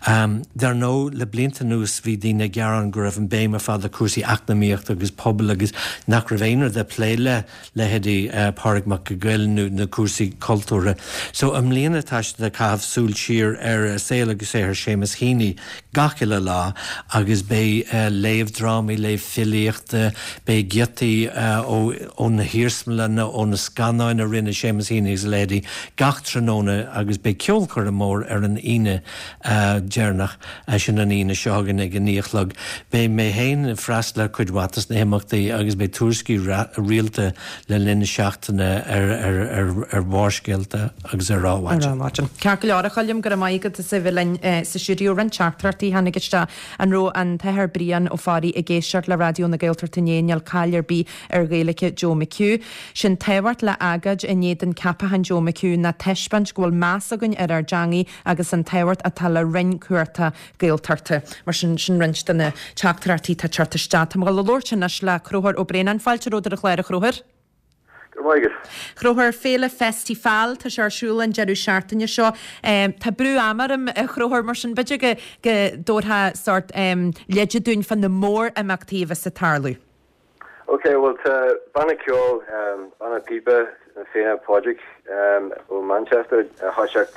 Dar ndóigh, le blianta anuas bhí daoine ag gearán go raibh an béim ar fad ar cúrsaí eacnamaíochta agus pobail agus nach raibh aon rud ag plé le leithéidí Pádraig Mac a' Ghoill nó na cúrsaí cultúrtha. So i mbliana tá siad ag caitheamh súil siar ar saol agus saothar Seamus Heaney gach uile lá agus beidh léamh drámaí, léamh filíochta, beidh giotaí ó. ó na hiarsmalanna, ó na scannáin a rinne Seamus Heaney agus a leithéidí gach tráthnóna agus beidh ceolchoirm mór ar an Aoine deireanach, sin an Aoine seo chugainn ag a naoi a chlog. Beidh mé féin ag freastal ar cuid mhaith des na himeachtaí agus beidh tuairiscí rialta le linn na seachtaine ar Bharrscéalta agus ar Adhmhaidin. Ceart go leor, a Choilm, go raibh maith agat as a bheith linn sa stiúideo. Roinnt teachtaireachtaí a tháinig isteach. An raibh an tAthair Brian Ó Fearraigh ag éisteacht le Raidió na Gaeltachta inné? Níl caill ar bith ar Ghaeilge Joe McHugh. Sé'n tábhacht le agóid in éadan ceapachán Joe McHugh ná taispeáint go bhfuil meas againn ar ár dteangaidh agus an tábhacht atá le Roinn cumhachtach Gaeltachta. Mar sin, sin roinnt de na teachtaireachtaí atá ag teacht isteach. Tá mé ag dul a labhairt anois le Conchúr Ó Braonáin. Fáilte romhat ar an chlár, a Chonchúir. Go raibh maith agat. Chonchúir, Féile Festifal, tá sé ar siúl an deireadh seachtaine seo. Tá brú ama orm, a Chonchúir, mar sin b'fhéidir go dtabharfá sórt leide dúinn fá na mór-imeachtaí a bheas ag tarlú. Ok, bhuel tá banna ceoil, banna píopa Fianna Pádraig ó Manchester a thoiseacht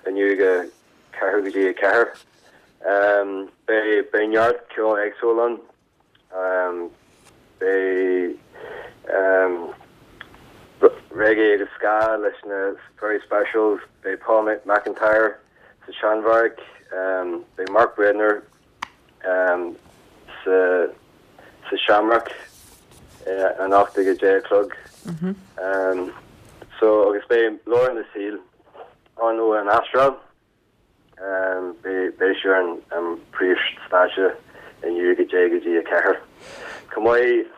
inniu ag a ceathrú go dtí a ceathair. Beidh beidh neart ceol éagsúil ann. Beidh reggae agus ska leis na Very Specials, beidh Paul McIntyre sa Seanbheairic, beidh Mark Breadner sa Shamrock anocht ag a deich a chlog. So agus beidh Laura na Saoil ann ó an Astráil. Beidh sí ar an príomhstáitse inniu ag a deich go dtí a ceathair. Chomh maith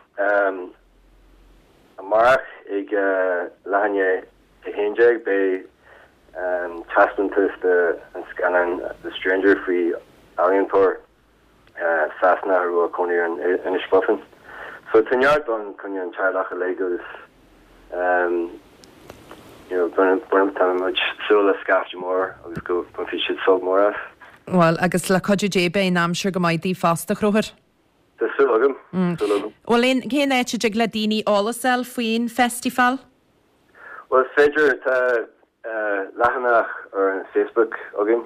amárach ag leath i ndiaidh a 11 beidh taispeántas de an scannán The Stranger faoi ealaíontóir Sasanach a raibh ag cónaí ar an Inis Bhofin. So tá neart ann coinne an teaghlach uilig agus you know tá muid súil le scaifte mór agus go mbainfidh siad sult mór as. Bhuel, agus le cuidiú Dé beidh an aimsir go maith daoibh fosta, a Chonchúir. Tá súil agam, súil agam. Bhuel, aon, cén áit a dtig le daoine eolas a fháil faoin Festifal? Bhuel, is féidir, tá leathanach ar an Facebook againn,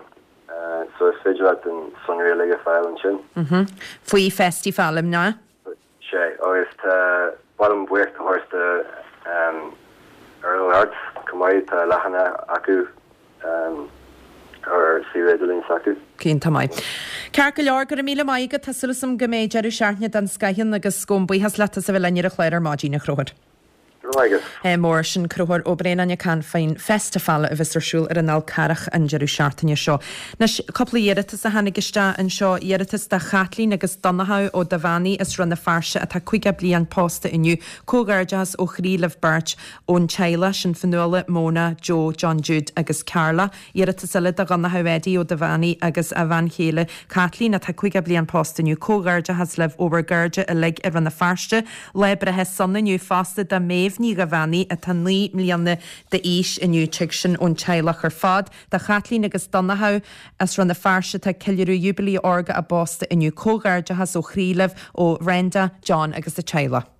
so is féidir leat an sonraí uilig a fáil ansin. Faoi Festifal, an ea? Sea, agus tá, ba mhaith liom buíochas a thabhairt do Oiriall Arts chomh maith, tá leathanach acu ar suíomh idirlín s'acu. Iontach maith. Ceart go leor, go raibh míle maith agat, tá súil agam go mbeidh deireadh seachtaine den scoth ann agus gabhaim buíochas leat as a bheith linn ar an chlár ar maidin, a Chonchúir. Go raibh maith agat. Mór sin Conchúr Ó Braonáin ag caint faoin Festifal a bheas ar siúl ar an Fhál Carrach an deireadh seachtaine seo. Anois, cúpla iarratas a tháinig isteach anseo. Iarratas do Chaitlín agus Donnchadh Ó Duibheannaigh as Rann na Feirste atá 50 bliain pósta inniu. Comhghairdeachas ó chroí libh beirt ón teaghlach sin, Fionnuala, Mona, Joe, John Jude agus Carla. Iarratas eile do Dhonnchadh Eddie Ó Duibheannaigh agus a bhean chéile Caitlín atá 50 bliain pósta inniu. Comhghairdeachas libh ó bhur gcairde uilig i Rann na Feirste. Lá breithe sona inniu fosta do Méabh Ní Dhuibheannaigh atá 9 mbliana d'aois inniu. Tig sin ón teaghlach ar fad. Do Chaitlín agus Donnchadh as Rann na Feirste atá ag ceiliúradh Júibilí Órga a bpósta inniu. Comhghairdeachas ó chroí libh ó Bhrenda, John agus a teaghlach.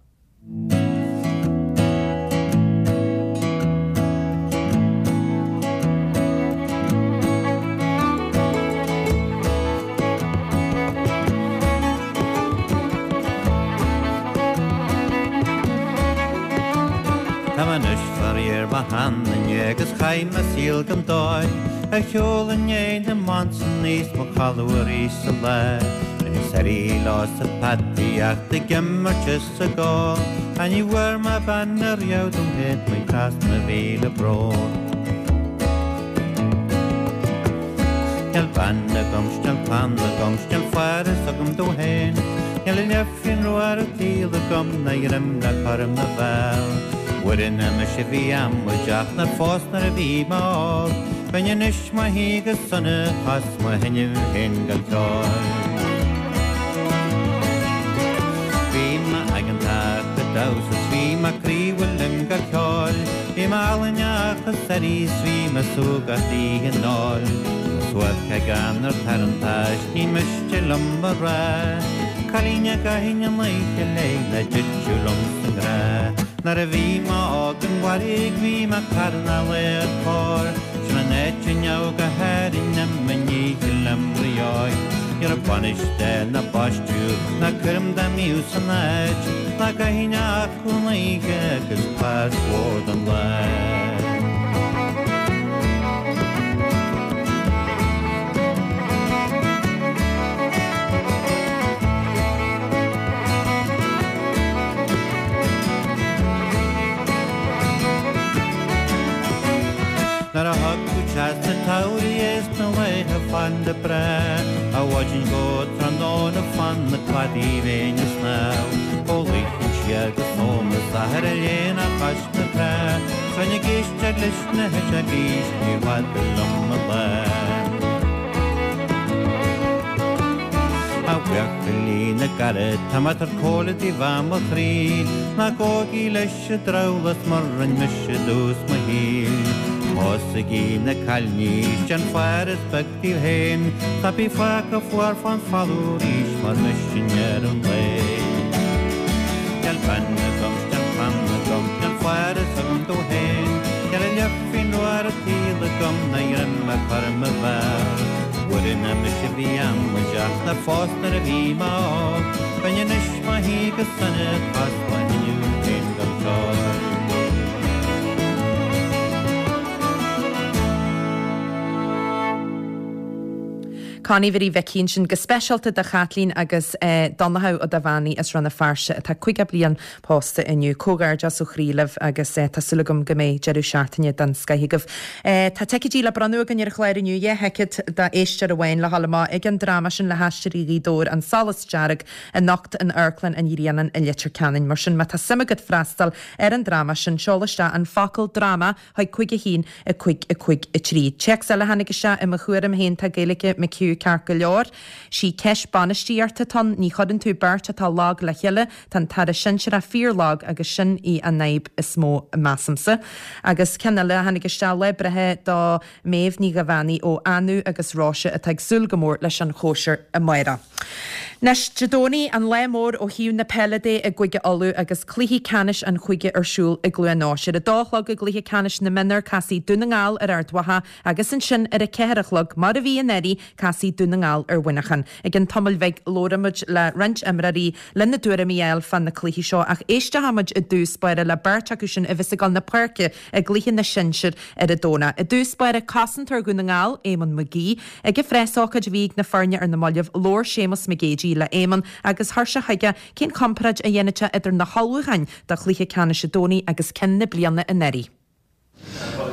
Tá mé anois faraor mo sheanduine agus chaith mé saol gan dóigh Ar shiúl i ndiaidh na mBansannaí 's mo chodladh arís sa lá Rinneas eirí leo sa pheataíocht ag imirt is ag ól Ach ní bhfuair mé bean ariamh dom féin mo trasna mhíle brón. Níl bean agam 's níl clann agam 's níl fear fhios agam domh féin Níl an leifrinn rua ar an tsaol agam ná greim le cur i mo bhéal. Uaireanta mise a bhí amaideach nár phós nuair a bhí mé óg, Bheinn anois mo shuí go sona 's mo sheinm féin go ceoil. Bhí mé aigeantach ag damhsa 's bhí mé croíúil im go ceoil, Bhí mé álainn ach is arís bhí mé súgach oíche an óil. Mo suairce gan ar tarrantais ní miste liom a rá, Cailín a gcaithfinn an oíche léi ná dtiteadh liom sa ngrá. Nuair a bhí mé óg an bharraigh bhí mé ag carnadh laoch cóir, Sin an áit a ndeabhadh go hÁrainn i mo ndícheall im rióig. Ní raibh bainis d'fhéile ná baisteadh ná cúram dá mbíodh san áit, ná gcaithfinn acu an oíche agus pas mhór don lá. Nuair a thagadh teas an tsamhraidh is na laethe fada breá, Ó mhaidin go tráthnóna fan na cladaí bheinn ag snámh, Ó luífinn siar go sómas athair a léine chois na trá, 'S bheinn ag éisteacht leis na heiseagaí 's níor bhfada liom mo lá. A bhuachaillí na gcarad, tá mé ag tabhairt comhairle daoibh ó mo chroí, Ná gabhaigí leis an drabhlás mar rinne mise i dtús mo shaoil. Pósaigí na cailíní 's déan faire is beag díobh féin, 's ná bí fágtha fuar fán bhfolú arís mar mise i ndeireadh an lae. Níl bean agam 's níl clann agam, níl faire agam domh féin, Níl a leathphingin rua ar an tsaol agam ná greim a chur i mo bhéal. Murach mise bhí amaideach nár phós nuair a bhí mé óg, Bheinn anois mo shuí go sona tost mo thinneadh féin gan feoil. Connie Mhary Mhicí ansin go speisialta do Chaitlín agus Donnchadh Ó Duibheannaigh as Rann na Feirste atá 50 bliain pósta inniu. Comhghairdeas ó chroí libh agus tá súil agam go mbeidh deireadh seachtaine den scoith agaibh. Tá ticéidí le bronnadh againn ar an chlár inniu, 2 thicéad d'éisteoir amháin le dhul amach ag an dráma sin le hAisteoirí Ghaoth Dobhair, An Solas Dearg, anocht in Amharclann an Ghrianáin i Leitir Ceanainn. Mar sin má tá suim agat freastal ar an dráma sin, seol isteach an focal 'dráma' chuig 5 1 5 5 3. Téacs eile a tháinig isteach i mo thuairim féin tá Gaeilge McHugh ceart go leor. Sí ceist bainistíochta atá ann, ní chuireann tú beirt atá lag le chéile, tá an tAire Sinsearach fíor lag agus sin í an fhadhb is mó measaimse. Agus ceann eile a tháinig isteach, lá breithe do Méabh Ní Dhuibheannaigh ó Anú agus Róise atá ag súil go mór leis an chóisir amárach. Anois, Dé Domhnaigh, an lá mór ó thaobh na peile de i gCúige Uladh agus cluichí ceannais an chúige ar siúl i gCluain Eois. Ar a dó a chlog i gcluiche ceannais na mionúr, casfaidh Dún na nGall ar Ard Mhacha agus ansin ar a ceathair a chlog, mar a bhí anuraidh, casfaidh Dún na nGall ar Mhuineachán. I gcionn tamaill bhig labhróidh muid le roinnt imreoirí lena dtuairimí a fháil fá na cluichí seo ach éisteoidh muid i dtús báire le beirt acu sin a bheas ag dul na páirce i gcluiche na sinsear ar an Domhnach. I dtús báire, cosantóir Dhún na nGall, Éamonn McGee. Ag an phreasócáid a bhí ag na foirne ar na mallaibh, labhair Séamus Mac Géidigh le Éamonn agus chuir sé chuige cén chomparáid a dhéanfadh sé idir na hullmhúcháin do chluiche ceannais an Domhnaigh agus ceann na bliana anuraidh.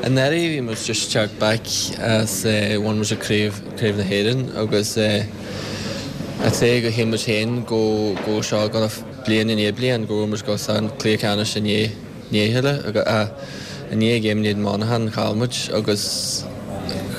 Anuraidh bhí muid just teacht back as bhain muid craobh craobh na hÉireann agus I'd say go shíl muid féin go go seo gonna bliain i ndiaidh bliain go raibh muid go san cluiche ceannais i ndiaidh ndiaidh chéile i ndiaidh game in éadan Monaghan chaill muid agus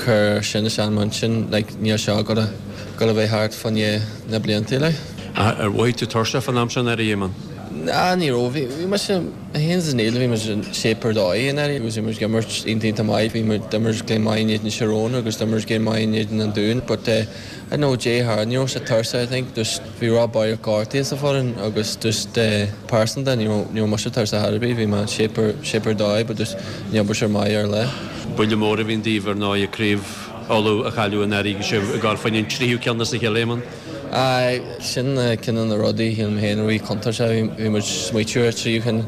chuir sin isteach i m'intinn like níl seo gonna gonna bheith thart fá choinne na blianta like. Ar mhothaigh tú tuirseach fán am sin anuraidh, Éamonn? Ná ní raibh. Bhí bhí mise mé féin is Neil bhí muid in shape ar dóigh anuraidh agus bhí muid ag imirt iontach iontach maith. Bhí muid d'imir game maith in éadan Tyrone agus d'imir game maith in éadan an Dúin but eh I don't know Jay Hard ní raibh sé tuirseach I think just bhí Rob Boyle gortaithe sa foireann agus just eh pearsanta ní raibh ní raibh mise tuirseach ar bith bhí mé in shape ar shape ar dóigh but just ní obair sé maith ar lá. Buille mór a bhí ann daoibh ar ndóigh craobh Uladh a chailleadh anuraidh agus sibh ag dul fá choinne an tríú ceann as a chéile, Éamonn. Aye, sin ceann de na rudaí shíl mé féin a bhí contúirteach, bhí muid smaoitiú ar tríú ceann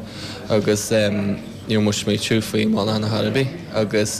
agus ní raibh muid smaoitiú faoi Monaghan ar chor ar bith agus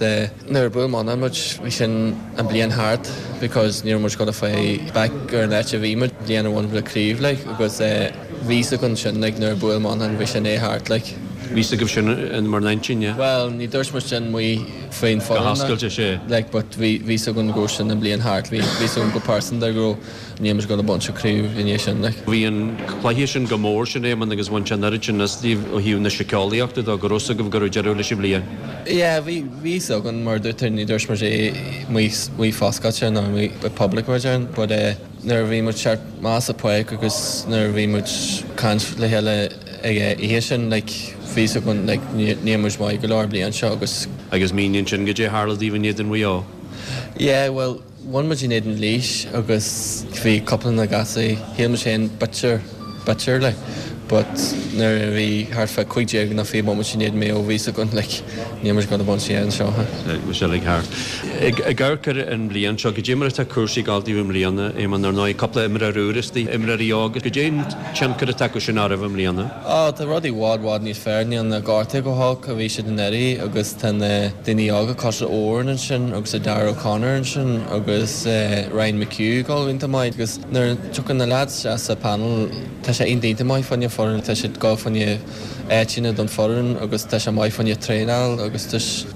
nuair a bhuail Monaghan muid bhí sin an bliain thart because ní raibh muid gonna fáil back ar an áit a bhí muid bliain a bhain le craobh like agus bhí fhios againn sin like nuair a bhuail Monaghan bhí sin é thart like. Bhí fhios agaibh sin in bhur n-intinn, yeah? Bhuel ní dúirt muid sin amuigh faoin Go hoscailte, sea. Like but bhí bhí fhios againn go raibh sin an bliain thart bhí bhí fhios againn go pearsanta go raibh níl muid gonna baint an craobh i ndiaidh sin like. Bhí an cluiche sin go mór sin Éamonn agus bhain sé an oiread sin as daoibh ó thaobh na síceolaíochta de go raibh fhios agaibh go raibh deireadh leis an bhliain. Yeah bhí bhí fhios againn mar dúirt tú ní dúirt muid é amuigh amuigh foscailte nó amuigh i public mar a déarfainn but eh nuair a bhí muid teacht amach as an pháirc agus nuair a bhí muid caint le chéile ag an oíche sin like bhí fhios againn like níl muid maith go leor an bliain seo agus. Agus mínigh ansin goidé a tharla daoibh in éadan Mhaigh Eo. Yeah bhuel bhain muid in éadan Laois agus bhí cúpla na gasúir shíl muid féin bitter bitter like. But nuair a bhí thart fá 15 nó 20 bomaite i ndiaidh Maigh Eo bhí 'fhios againn like níl muid ag dul a bhaint an seo. Bhí sé uilig thart. Ag amharc ar an mbliain seo, goidé mar atá cúrsaí ag dul daoibh i mbliana, Éamonn, ar ndóigh cúpla imreoir úr istigh, imreoirí óga, goidé an tionchar atá acu sin oraibh i mbliana? Á, tá rudaí i bhfad, bhfad níos fearr, níl na gortaithe chomh holc a bhí siad anuraidh agus tá na daoine óga cosúil le Odhrán ansin agus Darragh O'Connor ansin agus Ryan McHugh ag dul iontach maith agus nuair a tiocfaidh na lads isteach sa panel tá sé iontach iontach maith fá choinne foireann, tá siad ag dul fá choinne áiteanna don foireann agus tá sé maith fá choinne traenáil agus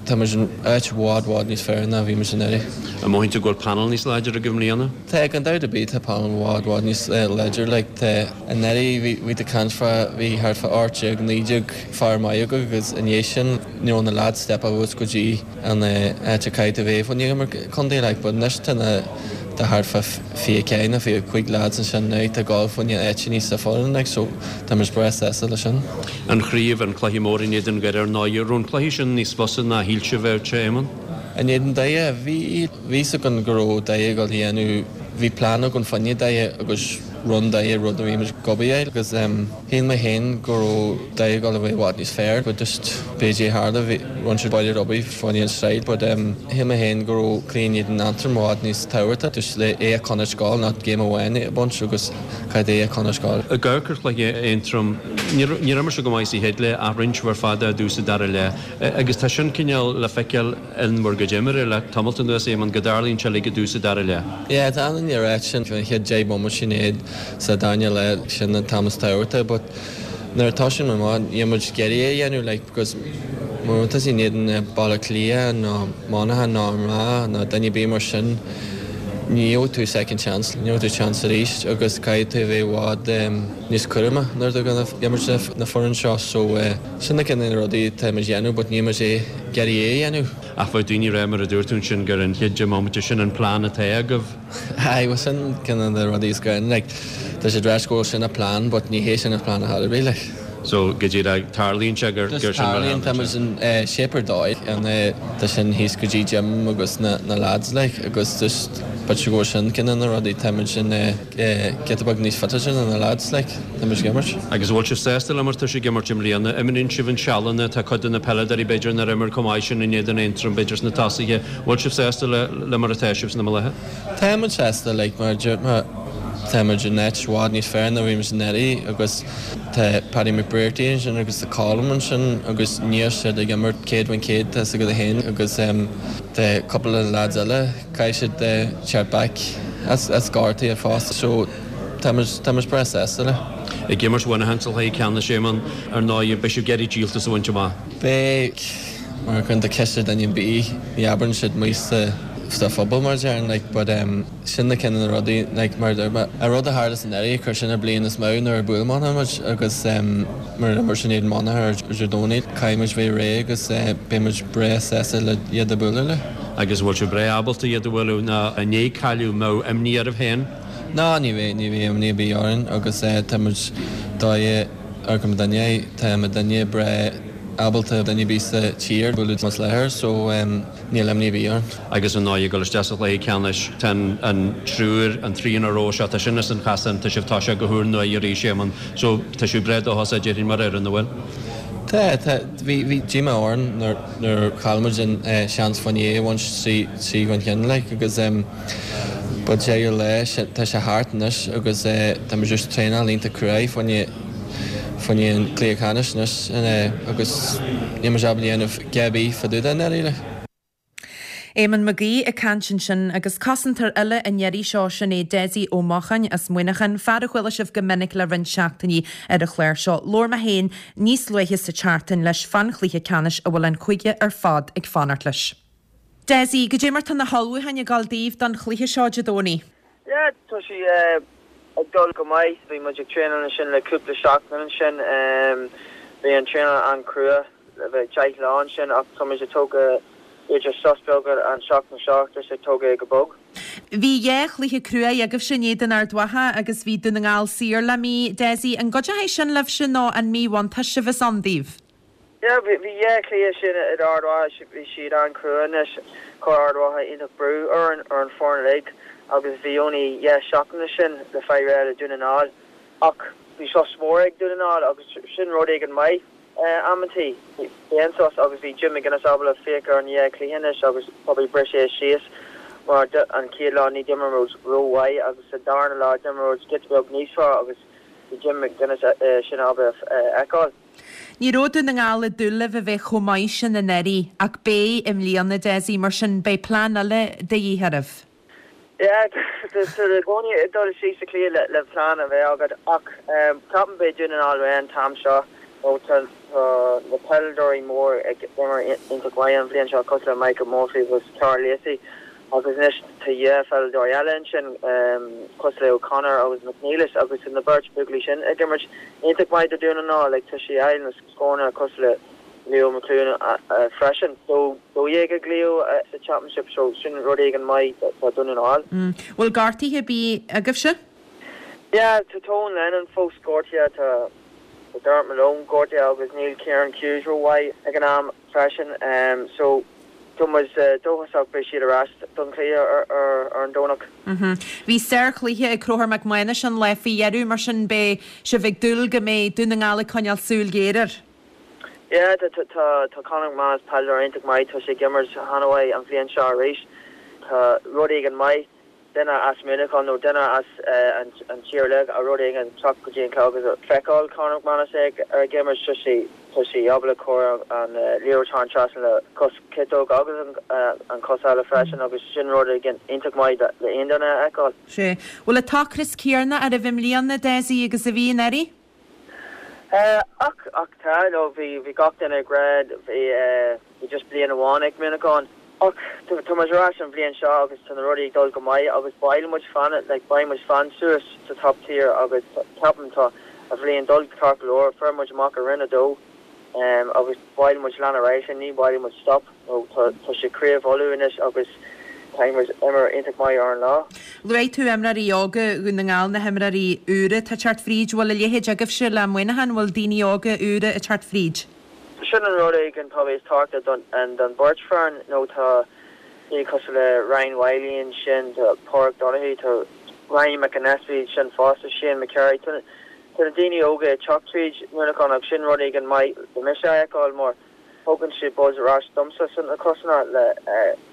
tá muid in áit i bhfad, bhfad níos fearr ná bhí muid anuraidh. An mothaíonn tú go bhfuil panel níos láidre agaibh i mbliana? Tá, gan dabht ar bith tá panel i bhfad, bhfad níos láidre like tá. Anuraidh bhí bhí tú ag caint fá bhí thart fá 18, 19 fear maith againn agus i ndiaidh sin ní raibh na lads step up go dtí an áit a caithfidh tú bheith fá choinne imirt contae like but anois tá na tá thart fá 24 nó 25 lads ansin now tá ag gabháil fá choinne áiteanna sa foireann like so tá muid breá sásta leis sin. An chraobh, an cluiche mór in éadan Dhoire ar ndóigh, raibh an cluiche sin níos fusa ná shíl sibh a bheadh sé, Éamonn? In éadan Doire, bhí bhí 'fhios againn go raibh Doire ag dul a dhéanamh bhí plean againn fá choinne Doire agus rinne Doire rud a bhí muid ag obair air agus shíl mé féin go raibh Doire ag dul a bheith i bhfad níos fearr but just b'fhéidir tharla bhí rinne siad buille ar obair fá choinne an side but shíl mé féin go raibh cluiche in éadan Aontroim i bhfad níos tábhachtaí just le é a choinneáil ag gabháil not game amháin a bhaint agus caithfidh é a choinneáil ag gabháil. Ag amharc ar chluiche Aontroim, níor imir sibh go maith sa chéad leath ach rinne sibh ar fad i dtús an dara leath agus tá sin cineál le feiceáil in bhur gcuid imeartha le tamalt anuas, Éamonn, go dtarlaíonn sé uilig i dtús an dara leath. Yeah, tá an oiread sin, an chéad 10 bomaite sin iad sa darna leath, sin an t-am is tábhachtaí but nuair atá sin amach, níl muid ag iarraidh é a dhéanamh like because mura bhfuil tusa in éadan Baile Átha Cliath nó Monaghan nó Armagh nó duine ar bith mar sin, ní gheobhaidh tú second chance, ní gheobhaidh tú chance arís agus caithfidh tú a bheith i bhfad níos cúramach nuair atá tú ag imirt na foireann seo so sin na cineál rudaí atá muid a dhéanamh but níl muid ag iarraidh é a dhéanamh. Ach bheadh daoine ag rá, mar a dúirt tú ansin, gur an chéad 10 mbomaite, sin an plean atá agaibh. Aye, bhuel sin cineál na rudaí is gá, like, tá siad ag ráit go bhfuil sin an plean but ní hé sin an plean ar chor ar bith, like. So, go díreach, tarlaíonn sé gur gur sin mar a Tarlaíonn, tá muid in shape ar dóigh, an tá sin thíos go dtí Jim agus na na lads, like, agus just b'fhéidir go bhfuil sin cineál na rudaí, tá muid in giota beag níos fitáilte ná na lads, like, tá muid ag imirt. Agus an bhfuil sibh sásta le mar atá sibh ag imirt i mbliana? Imríonn sibh an sealanna, tá cuid de na peileadóirí b'fhéidir nár imir chomh maith sin in éadan Aontroim, b'fhéidir sna tosaithe. Bhfuil sibh sásta le le mar atá sibh sna láthair? Tá muid sásta, like, mar a dúirt mé, tá muid in áit i bhfad níos fearr ná bhí muid anuraidh agus tá Paddy McBrearty ansin agus tá Colm ansin agus níl siad ag imirt 100% tá 'fhios agat féin agus tá cúpla lads eile Caithfidh siad teacht back as gortaithe fosta so tá muid tá muid breá sásta le. Ag imirt Mhuineacháin sa chluiche ceannais, Éamonn, ar ndóigh, beidh sibh ag iarraidh díoltas a bhaint amach. Beidh, mar cuireann tú ceist ar duine ar bith, ní abrann siad amuigh sa sa phobal mar a déarfainn like but em sin na cineál na rudaí like mar a dúirt mé an rud a tharla san anuraidh chuir sin an bliain níos mó nuair a bhuail Monaghan muid agus em nuair a d'imir sin iad Monaghan ar Dé Domhnaigh caithfidh muid bheith réidh agus eh beidh muid breá sásta le iad a bualadh le. Agus an bhfuil sibh breá ábalta iad a bhualadh nó i ndiaidh cailleadh an mbeadh imní oraibh féin? Ná ní bheidh, ní bheidh imní ar bith orainn agus tá muid dóigh ar go duine, tá muidinne breá ábalta duine ar bith sa tír a bhualadh as láthair so níl imní ar bith orainn. Agus ar ndóigh ag dul isteach sa chluiche ceannais tá an triúr, an trian a raibh seo, tá sin as an chasán, tá sibh toiseacht go húrnua arís Éamonn so tá sibh breá dóchasach déarfainn mar fhoireann, an bhfuil? Tá, tá, bhí, bhí díomá orainn nuair, nuair chaill muid an seans fá choinne é a bhaint 3 chun cinn like agus but deireadh lae tá sé thart anois agus tá muid just traenáil iontach cruaidh fá choinne fá choinne an cluiche ceannais anois agus níl muid ábalta dhéanamh a dhath ar bith fá dtaobh de i ndáiríre. Éamonn Mag Aoidh ag caint ansin agus cosantóir eile an iarraidh seo, sin é Dessie Ó Mocháin as Muineachán, fear a chuala sibh go minic le roinnt seachtainí ar an chlár seo. Labhair mé féin níos luaithe sa tseachtain leis fán chluiche ceannais a bhfuil an cúige ar fad ag fanacht leis. Dessie, goidé mar tá na hullmhúcháin ag dul daoibh don chluiche seo Dé Domhnaigh? Yeah, tá sé ag dul go maith. Bhí muid ag traenáil ansin le cúpla seachtain ansin. Bhí an traenáil an-crua. le bheith 10 lá ansin ach tá muid ag tógáil b'fhéidir sos beag an seachtain seo just ag tógáil é go bog. Bhí dhá chluiche cruaidh agaibhse in éadan Ard Mhacha agus bhí Dún na nGall saor le mí, Dessie. An gcuideoidh sin libhse nó an míbhuntáiste a bheas ann daoibh? Yeah, bhí dhá chluiche sin in Ard Mhacha, bhí siad an-chrua anois. Chuir Ard Mhacha iontach brú orainn, ar an foireann uilig agus bhí only dhá seachtain ansin le fáil réidh le Dún na nGall. Ach. bhí sos mór ag Dún na nGall agus sin rud éigin maith amantaí. Bhí an sos agus bhí Jim McGuinness ábalta féach ar an dhá chluiche anois agus probably bris é síos mar an chéad lá ní d'imir muid ró-mhaith agus sa darna lá d'imir muid giota beag níos fearr agus bhí Jim McGuinness sin ábalta a fheiceáil. Ní raibh Dún na nGall ag dúil libh a bheith chomh maith sin anuraidh ach beidh i mbliana, Dessie, mar sin beidh plean eile de dhíth oraibh. Yeah, tá tú i gcónaí ag dul síos sa chluiche le plean a bheith agat ach ceapaim beidh Dún na nGall réidh an t-am seo nó tá na peileadóirí mór ag imirt iontach mhaith an bhliain seo cosúil le Michael Murphy agus Karl Lacey agus anois tá dhá pheileadóir eile ansin cosúil le O'Connor agus McNeilis agus tá na beirt buachaillí sin ag imirt iontach maith do Dún na nGall like tá sé ag fáil na scóranna cosúil le Leo McLoone freisin. So 12 ag Leo sa Championship so sin rud éigin maith do Dún na nGall. Bhfuil gortuithe ar bith agaibhse? Yeah, tá Tone Lennon fós gortaithe, tá Dermot Malone gortaithe agus níl Kieran Hughes ró-mhaith ag an am freisin. So tá muid dóchasach beidh siad ar ais don chluiche ar an Domhnach. Bhí sárchluiche ag Conchúr Mac Mánais an lá faoi dheireadh, mar sin beidh sibh ag dúil go mbeidh Dún na nGall ag coinneáil súil ghéar air. Yeah, tá Conor McManus peileadóir iontach maith, tá sé ag imirt an-mhaith an bhliain seo arís. Tá rud éigin maith, duine as Muineachán nó duine as an tír eile a rud éigin teacht go dtí an club agus feiceáil Conor McManus ag ag imirt, tá sé tá sé ábalta cur an liathróid thar an trasna le cos ciotóg agus an cos eile freisin agus sin rud éigin iontach maith le aon duine a fheiceáil. Sea. Bhfuil an t-ocras céanna oraibh i mbliana, Dessie, agus a bhí anuraidh? Ach, ach tá, nó bhí, bhí gach duine ag rá, bhí, bhí just bliain amháin ag Muineachán. Ach tá, tá muid ar ais an bhliain seo agus tá na rudaí ag dul go maith agus ba mhaith muid fan, like, ba mhaith muid fan suas sa top tier agus ceapaim tá an bhliain dul ceart go leor, fuair muid amach i Roinn 2 agus ba mhaith muid lean ar aghaidh sin, ní ba mhaith muid stop. Nó tá sé Craobh Uladh anois agus caithfidh muid imirt iontach maith ar an lá. Luaigh tú imreoirí óga Dhún na nGall, na himreoirí úra atá ag teacht fríd. Bhfuil a leithéid agaibhse le Muineachán? Bhfuil daoine óga úra ag teacht fríd? Sin an rud éigin probably is tábhachtaí don don beirt foireann nó tá daoine cosúil le Ryan Wylie ansin, tá Pádraig Donoghue, tá Ryan McAnespie ansin fosta, Shane McCarry. Tá na daoine óga ag teacht tríd Muineachán agus sin rud éigin maith le mise a fheiceáil mar Tugann sé buzz ar ais domsa sna cosanna le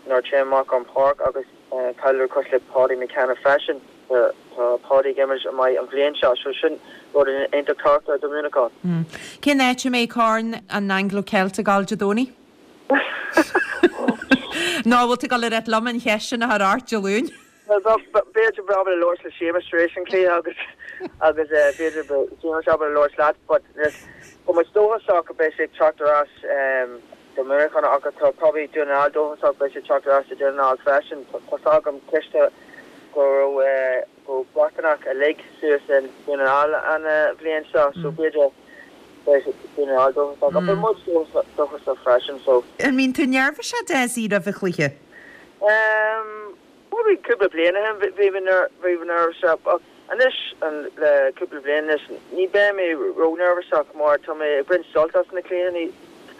nuair a téim amach ar an páirc agus peileadóir cosúil le Paudie McKenna freisin. Tá Paudie ag imirt maith an bhliain seo so sin rud iontach tábhachtach do Mhuineachán. Cén áit a mbeidh Corn an Anglo-Celt ag dul Dé Domhnaigh? Nó an bhfuil tú ag dul a ráit liom an cheist sin a chur ort Dé Luain? Bhuel, b'fhéidir beidh ábalta labhairt le Séamus tar éis an chluiche agus agus b'fhéidir beidh Séamus ábalta labhairt leat but tá muid dóchasach go beidh sé ag teacht ar ais do Mhuineachán ach tá probably Dún na nGall dóchasach beidh sé ag teacht ar ais do Dún na nGall freisin. Tá's agam cloiste go raibh go raibh Breatnach uilig suas in Dún na nGall an bhliain seo so b'fhéidir beidh Dún na nGall dóchasach ach beidh muid dóchasach freisin so. An mbíonn tú neirbhíseach Dessie roimh an chluiche? Probably cúpla bliain ó shin bhí mé neirbhíseach ach anois le cúpla bliain anois ní beidh mé ró-neirbhíseach mar tá mé ag baint sult as na cluichí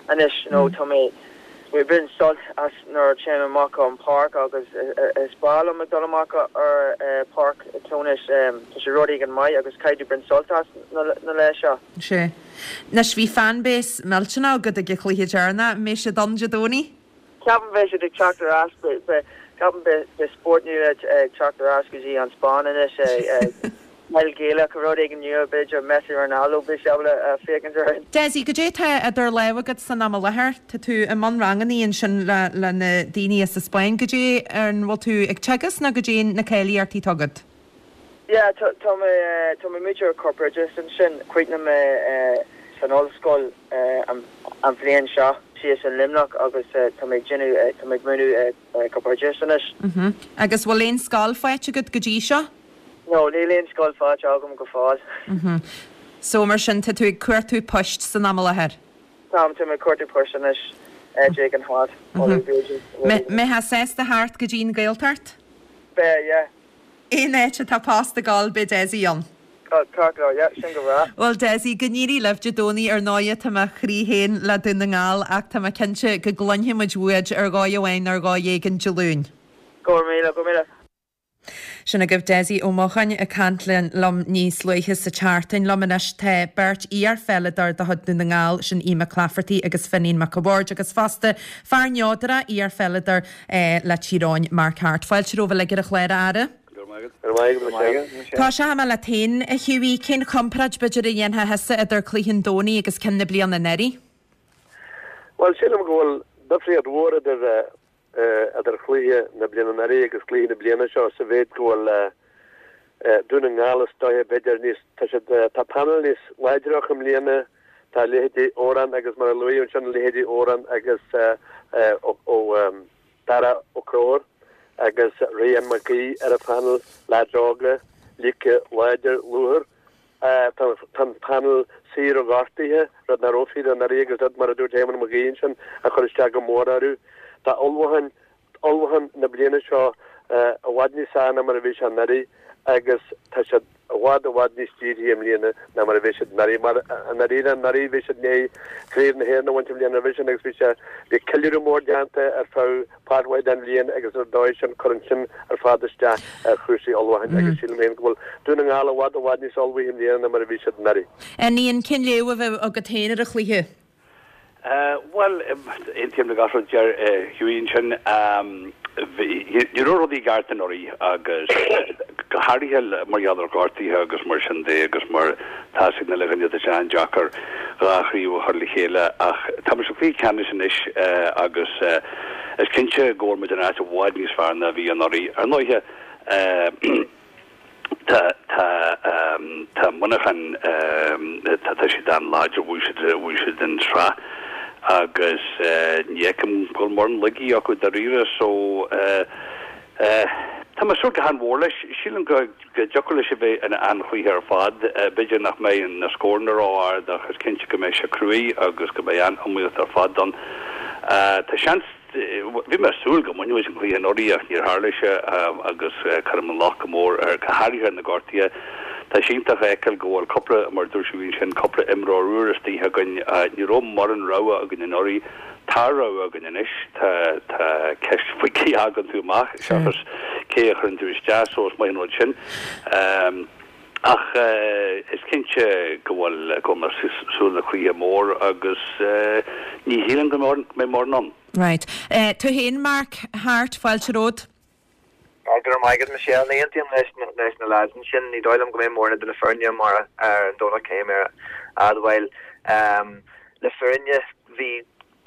anois you know tá mé ag baint sult as nuair a téim amach ar an páirc agus is breá liom ag dul amach ar páirc Clonus tá sé rud éigin maith agus caithfidh tú baint sult as na lae seo. Sea. Anois bhí fanbase millteanach agat ag an chluiche deireanach, an mbeidh siad ann Dé Domhnaigh? Ceapaim beidh siad ag teacht ar ais, ceapaim beidh spórt nua ag teacht ar ais go dtí an Spáinn anois, peil Ghaelach, rud éigin nua, b'fhéidir Messi Ronaldo, beidh siad ábalta féachaint air. Dessie, goidé atá idir lámha agat san am i láthair? Tá tú i mbun rangannaí ansin le le na daoine as an Spáinn. Goidé, an bhfuil tú ag teagasc nó goidé na cáilíochtaí atá agat? Yeah, tá mé, tá mé múinteoir corpoideachais ansin. Chríochnaigh mé san ollscoil an bhliain seo síos in Luimneach agus tá mé ag déanamh, tá mé ag múineadh corpoideachais anois. Mhm. Agus bhfuil aon scoil faighte agat go dtí seo? No, níl aon scoil faighte agam go fóill. Mhm. So mar sin tá tú ag cuartú poist san am i láthair? Táim, tá mé ag cuartú poist anois, áit éigin thart, Uladh b'fhéidir. Mbeifeá sásta theacht go dtí an Ghaeltacht? Beidh, yeah. Aon áit atá post ag gabháil beidh Dessie ann. Ceart go leor, yeah, sin go breá. Bhuel Dessie, go n-éirí libh Dé Domhnaigh ar ndóighe tá mo chroí féin le Dún na nGall ach tá mé cinnte go gcluinfidh muid uait ar dhóigh amháin nó ar dhóigh éigin Dé Luain. Go raibh míle, go raibh míle. Sin agaibh Dessie Ó Mocháin ag caint liom níos luaithe sa tseachtain. Liom anois tá beirt iar-pheileadóir de chuid Dún na nGall, sin Ian McClafferty agus Finian Mac a' Bhaird agus fosta fear neodrach, iar-pheileadóir le Tír Eoghain, Mark Harte. Fáilte romhaibh uilig ar an chlár, a fheara. Go raibh maith agat, Michelle. Tosóidh mé leat féin, a Hughie. Cén chomparáid, b'fhéidir, a dhéanfá thusa idir cluiche an Domhnaigh agus ceann na bliana anuraidh? Bhuel, sílim go bhfuil difríocht mhór idir idir chluiche na bliana anuraidh agus cluiche na bliana seo sa mhéid go bhfuil Dún na nGall is dóiche b'fhéidir níos, tá siad, tá panel níos láidre acu i mbliana, tá leithéidí Odhrán agus mar a luaíodh ansin leithéidí Odhrán agus ó Dara Ó Conchúir agus Ryan Mac Aoidh ar an phanel, leaids óga, líoca, láidir, lúthmhar. Tá an panel saor ó ghortuithe, rud nach raibh fíor anuraidh agus rud, mar a dúirt Éamonn Mag Aoidh ansin, a chuir isteach go mór orthu. Tá ullmhúchán, ullmhúchán na bliana seo i bhfad níos fearr ná mar a bhí sé anuraidh agus tá siad i bhfad, i bhfad níos dírithe i mbliana ná mar a bhí siad anuraidh. Mar i ndáiríre anuraidh bhí siad i ndiaidh Craobh na hÉireann a bhaint an bhliain roimhe sin agus bhí sé, bhí ceiliúradh mór déanta ar feadh páirt mhaith den bhliain agus ar dóigh sin cuireann sin ar fad isteach ar chúrsaí ullmhúcháin agus sílim féin go bhfuil Dún na nGall i bhfad i bhfad níos ullmhaithe i mbliana ná mar a bhí siad anuraidh. Ian, cén léamh a bheadh agat féin ar an chluiche? Bhuel, aontaím le gach rud a deir Hughie ansin. Ní raibh rudaí i gceart anuraidh agus go háirithe mar gheall ar ghortuithe agus mar sin de agus mar tá a fhios ag an uile dhuine tá sé an-deacair dhá chraobh a chur le chéile ach tá muid sa chluiche ceannais anois agus is cinnte go bhfuil muid in áit i bhfad níos fearr ná a bhí anuraidh. Ar ndóighe tá tá tá Muineachán tá tá siad an-láidir, bhuaigh siad bhuaigh siad an tsraith agus ní fheicim go bhfuil mórán laigí acu dáiríre so tá mé ag súil go han-mhór leis. Sílim go go dtiocfadh leis a bheith ina an-chluiche ar fad. B'fhéidir nach mbeidh na scóranna ró-ard ach is cinnte go mbeidh sé cruaidh agus go mbeidh an-iomaíocht ar fad ann. Tá seans, bhí mé ag súil go mbainfeadh muid an cluiche anuraidh ach níor tharla sé agus cuirim an locht go mór ar, go háirithe ar na gortuithe. Tá sé iontach a fheiceáil go bhfuil cúpla, mar a dúirt Hughie ansin, cúpla imreoir úr istigh againn. Ní raibh mórán rogha againn anuraidh. Tá rogha againn anois. Tá, tá ceist faoi cé a fhágann tú amach seachas cé a chuireann tú isteach, so is maith an rud sin. Ach is cinnte go bhfuil, go bhfuil mé ag súil le cluiche mór agus ní shílim go mbeidh mórán ann. Right. Tú féin, Mark Harte, fáilte romhat. Go raibh maith agat Michelle. Ní aontaím leis leis na lads ansin. Ní dóigh liom go mbeidh mórán idir na foirne mar ar an Domhnach caithfidh mé a admháil. Le fírinne bhí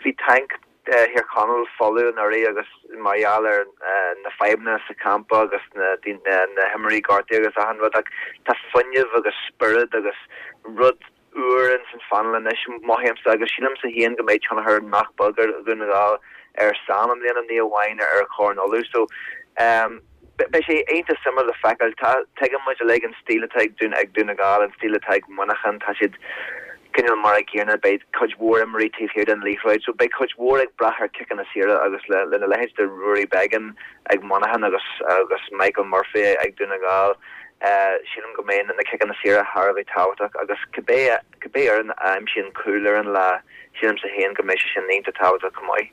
bhí tanc Thír Chonaill folamh anuraidh agus mar gheall ar na fadhbanna sa champa agus na na himreoirí gortaithe agus achan rud ach tá fuinneamh agus spiorad agus rud úr ins an phainéal anois, mothaímse, agus sílimse féin go mbeidh tionchar nach beag ar Dhún na nGall ar Sam i mbliana, ní amháin ar Chorn Uladh. So, ehm, beidh sé iontach suimiúil le feiceáil. Tá, tuigeann muid uilig an stíl atá ag Dún, ag Dún na nGall, an stíl atá ag Muineachán, tá siad cineál mar a gcéanna, beidh cuid mhór imreoirí taobh thiar den liathróid, so beidh cuid mhór ag brath ar ciceanna saora agus le, lena leithéid de Ruairí Beggan ag Muineachán agus, agus Michael Murphy ag Dún na nGall. Sílim go mbeidh na ciceanna saora thar a bheith tábhachtach agus cibé cibé fhoireann a aimsíonn cúl ar an lá, sílimse féin go mbeidh sé sin iontach tábhachtach chomh maith.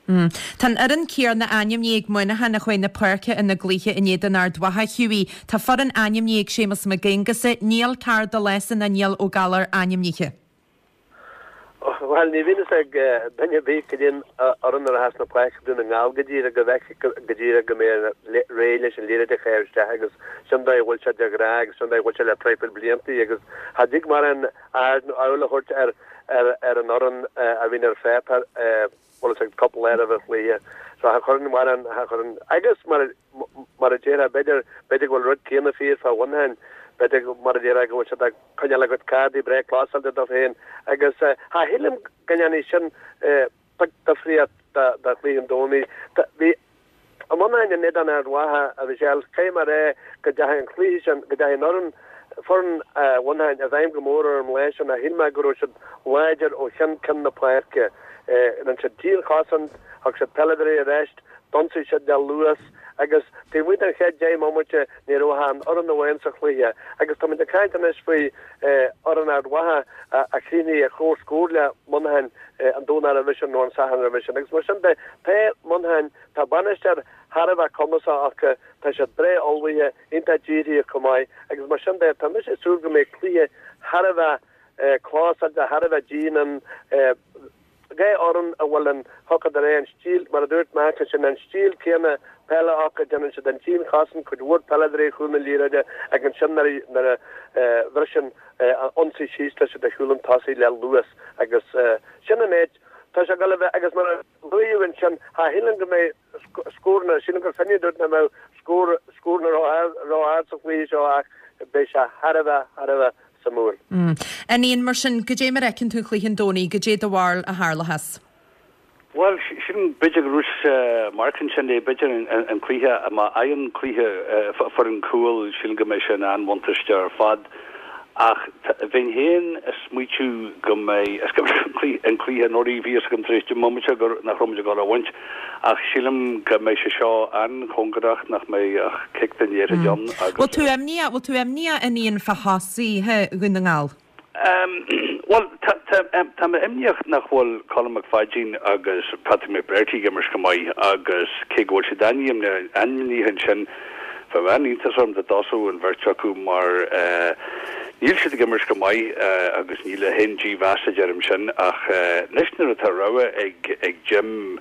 Tá an fhoireann céanna ainmnithe ag Muineachán a chuaigh na páirce ina gcluiche in éadan Ard Mhacha, Hughie. Tá foireann ainmnithe ag Séamus Mac Aonghusa, níl Karl Lawson ná Niall Ó Gallchóir ainmnithe. Bhuel, ní bhíonn fhios ag duine ar bith cad é an fhoireann a rachas na páirce Dún na nGall go díreach, go bhfeicfidh go díreach go mbeidh réidh leis an liathróid a chaitheamh isteach agus sin dóigh a bhfuil sé de ghnáth agus sin dóigh a bhfuil sé le traidhfil bliantaí agus cha dtig mórán aird nó amhail a thabhairt ar ar an fhoireann a bhíonn ar pháipéar bhfuil fhios agat cúpla lá roimh an chluiche. So cha chuireann mórán, cha chuireann, agus mar mar a déarfá, b'fhéidir, b'fhéidir go bhfuil rud céanna fíor fá Mhuineachán, b'fhéidir mar a déarfá go bhfuil siad ag coinneáil a gcuid cárdaí breá clósáilte dóibh féin agus cha shílim go ndéanfaidh sin difríocht do chluiche an Domhnaigh. Bhí Muineachán in éadan Ard Mhacha, a Mhichelle, caithfidh mé a rá go dteachaigh an cluiche sin, go dteachaigh an fhoireann, foireann Mhuineacháin i bhfeidhm go mór orm an lá sin. Shíl mé go raibh siad láidir ó cheann ceann na páirce. Rinne siad dianchosaint, thug siad peileadóirí ar ais, d'ionsaigh siad le luas agus taobh amuigh den chéad 10 mbomaite ní raibh ach aon fhoireann amháin sa chluiche. Agus táimid ag caint anois faoi fhoireann Ard Mhacha a chríochnaigh ar comhscór le Muineachán an Domhnach roimhe sin nó an Satharn roimhe sin. Agus mar sin de, tá Muineachán, tá bainisteoir. thar a bheith cumasach acu, tá siad breá ullmhaithe, iontach dírithe chomh maith agus mar sin de, tá mise ag súil go mbeidh cluiche thar a bheith clósáilte, thar a bheith dian ann. 2 fhoireann a bhfuil an, thiocfadh de réir an stíl, mar a dúirt Mark ansin, an stíl céanna peile acu, déanann siad an dianchosaint, cuid mhór peile de réir chúl na liathróide agus ansin nuair a bhriseann ionsaí síos tá siad ar chúl an tosaigh le luas agus sin an méid. Tá sé ag dul a bheith agus mar a luaíodh ansin, cha shílim go mbeidh scóranna, sílim gur Finny a dúirt nach mbeadh scór, scóranna ró-ard sa chluiche seo ach beidh sé thar a bheith, thar a bheith suimiúil. Fhinian, mar sin, goidé mar a fheiceann tú an cluiche an Domhnaigh, goidé do bharúil a tharlóchas? Bhuel, sin, b'fhéidir go raibh Mark ansin é, b'fhéidir an cluiche, má fhaigheann cluiche, foireann cúl, sílim go mbeidh sé in an-bhuntáiste ar fad. Ach bheinn féin ag smaoitiú go mbeidh, is go mbeidh an cluiche anuraidh, bhí fhios agam tar éis deich mbomaite gur, nach raibh muid ag dul a bhaint. Ach sílim go mbeidh sé seo an-chóngarach, nach mbeidh ach cic den liathróid ann agus. Bhfuil tú imníoch, bhfuil tú imníoch, a Fhinian, fá thosaithe Dhún na nGall? Bhuel, tá mé imníoch nach bhfuil Colm McPháidín agus Patrick McBrearty ag imirt go maith agus cé go bhfuil siad ainmnithe ansin, bheadh an-iontas orm dá dtosódh an bheirt acu mar níl siad ag imirt go maith agus ní le haon dímheas a deirim sin ach anois nuair atá rogha ag Jim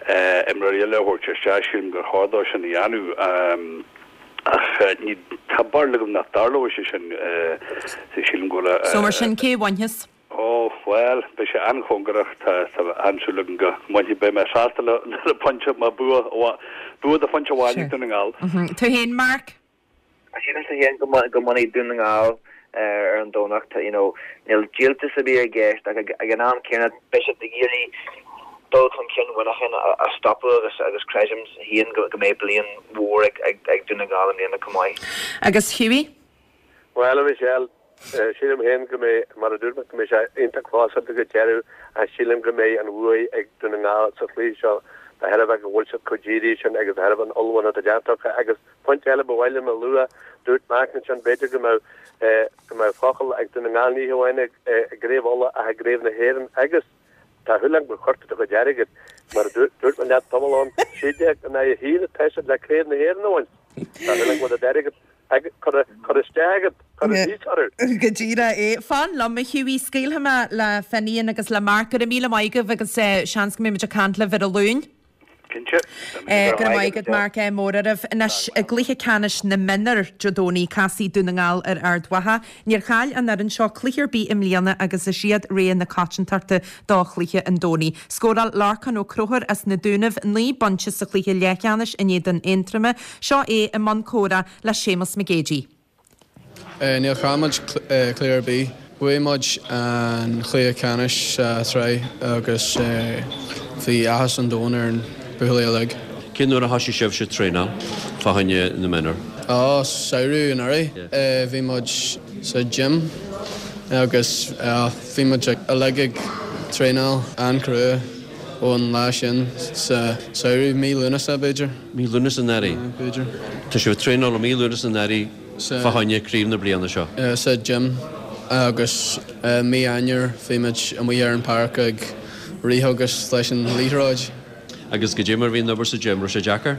imreoirí eile a thabhairt isteach, sílim gur chóir dó sin a dhéanamh. Ach ní, tá barúil agam nach dtarlóidh sé sin. Sílim go bhfuil a. So mar sin, cé a bhainfeas? Ó, bhuel, beidh sé an-chóngarach. Tá, tá an-súil agam go mbainfidh. Beidh mé sásta le, le pointe, má bua, bua de phointe amháin ag Dún na nGall. Tú féin, Mark? Sílimse féin go go mbainfidh Dún na nGall ar an Domhnach. You know, níl díoltas ar bith i gceist ach ag an am céanna beidh siad ag iarraidh dul chun cinn Mhuineacháin a stopadh agus agus creidim féin go mbeidh bliain mhór ag ag Dún na nGall i mbliana chomh maith. Agus Hughie? Bhuel, a Mhichelle, sílim féin go mbeidh, mar a dúirt mé, go mbeidh sé iontach clósáilte go deireadh ach sílim go mbeidh an bhuaidh ag Dún na nGall sa chluiche seo de thairbhe go bhfuil siad chomh dírithe sin agus de thairbhe an ullmhúchán atá déanta acu agus Pointe eile ba mhaith liom a lua, dúirt Mark ansin, b'fhéidir go mbeadh go mbeadh focal ag Dún na nGall ní hamháin i gCraobh Uladh ach i gCraobh na hÉireann agus tá súil agam gur chuir tú do chuid airgid, mar a dúirt mé leat tamall ó shin, 16 in aghaidh 1 atá siad le Craobh na hÉireann a bhaint. Tá súil agam go bhfuil do d'airgead curtha curtha isteach agat, curtha síos orthu. Go díreach é. Fan liom, a Hughie, scaoilfidh mé le Finian agus le Mark. Go raibh míle maith agaibh agus seans go mbeidh muid ag caint libh ar an Luan. Cinnte. Go raibh maith agat Mark, ádh mór oraibh. Anois, i gcluiche ceannais na mionúr Dé Domhnaigh, casfaidh Dún na nGall ar Ard Mhacha. Níor chaill an fhoireann seo cluiche ar bith i mbliana agus is iad rogha na coitiantachta do chluiche an Domhnaigh. Scóráil Lorcán Ó Conchúir as na Dúnaibh 9 bpointe sa chluiche leathcheannais in éadan Aontroma. Seo é i mbun comhrá le Séamus Mac Géidigh. Níor chaill muid cluiche ar bith. Bhuaigh muid an chluiche ceannais sa tsraith agus bhí áthas an domhain ar na buachaillí uilig. Cén uair a thoisigh sibhse traenáil fá choinne na mionúr? Ó, samhradh anuraidh. Bhí muid sa gym agus bhí muid uilig ag traenáil an-chrua. Ón lá sin sa samhradh, mí Lúnasa b'fhéidir. Mí Lúnasa anuraidh? B'fhéidir. Tá sibh ag traenáil ó mí Lúnasa anuraidh fá choinne craobh na bliana seo? Sa gym agus mí Eanáir bhí muid amuigh ar an páirc ag rith agus leis an liathróid. Agus goidé mar bhí an obair sa gym, raibh sé deacair?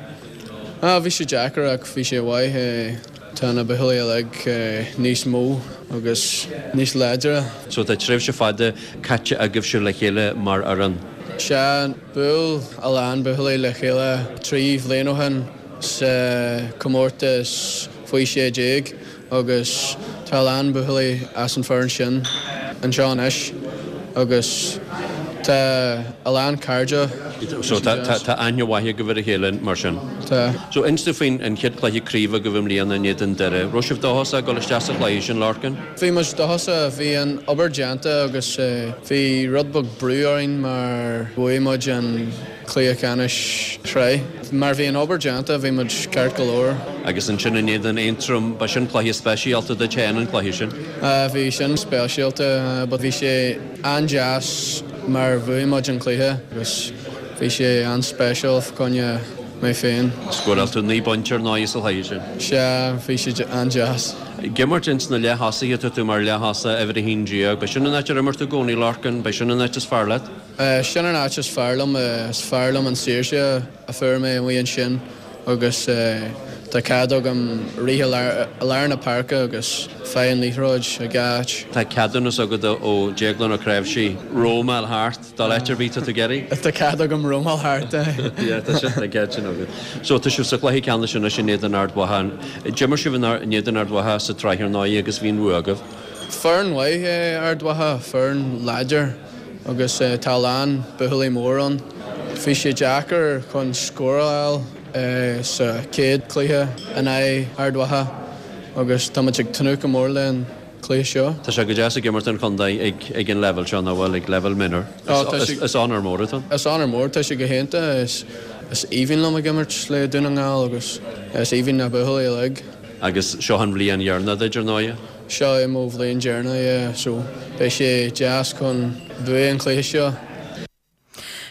Bhí sé deacair ach bhí sé mhaith. Tá na buachaillí uilig níos mó agus níos láidre. So tá tréimhse fada caite agaibhse le chéile mar fhoireann? Sea, bhuail a lán buachaillí le chéile 3 bhliain ó shin sa chomórtas faoi 16 agus tá a lán buachaillí as an foireann sin anseo anois agus tá a lán cairde. So tá aithne mhaith agaibh ar a chéile mar sin? Tá. So inis domh faoin an chéad chluiche craoibhe agaibh i mbliana in éadan Doire. Raibh sibh dóchasach ag dul isteach sa chluiche sin, Lorcan? Bhí muid dóchasach. Bhí an obair déanta agus bhí rud beag brú orainn mar bhuaigh muid an cluiche ceannais sraith. Mar bhí an obair déanta bhí muid ceart go leor. Agus ansin in éadan Aontroim, ba sin cluiche speisialta duit féin an cluiche sin? Bhí sin speisialta but bhí sé an-deas mar bhuaigh muid an cluiche agus bhí sé an-speisial fá choinne mé féin. Scóráil tú 9 bpointe ar ndóigh sa chluiche sin. Sea, bhí sé an-deas. Ag imirt ins na leath-thosaithe, tá tú mar leath-thosaí, uimhir 11. B'é sin an áit ar imir tú i gcónaí, Lorcan? B'é sin an áit is fearr leat? Sin an áit is fearr liom. Is fearr liom an saoirse a fuair mé amuigh ansin. agus tá cead agam rith i lár na páirce agus faigh an liathróid ag gach áit. Tá ceadúnas agat ó Déaglán Ó Cnáimhsí rómáil thart dul áit ar bith tá tú ag iarraidh? Tá cead agam rómáil thart, Yeah, tá sin, tá an cead sin agat. So tá sibh sa chluiche ceannais anois in éadan Ard Mhacha. D'imir sibh in éadan Ard Mhacha sa tsraith ar ndóigh agus bhí an bhua agaibh. Foireann mhaith é Ard Mhacha, foireann láidir agus tá a lán buachaillí mór ann. Bhí sé deacair chun scór a fháil sa chéad cluiche in aghaidh Ard Mhacha agus tá muid ag tnúth go mór le an cluiche seo. Tá sé go deas ag imirt don chontae ag an leibhéal seo, nach bhfuil, ag leibhéal mionúr. Is onóir mór atá ann. Is onóir mór, tá sé go hiontach. Is aoibhinn liom ag imirt le Dún na nGall agus is aoibhinn na buachaillí uilig. Agus seo an bhliain dheireanach duit, ar ndóighe. Seo é mo bhliain deireanach, yeah, so beidh sé deas chun buaigh an cluiche seo.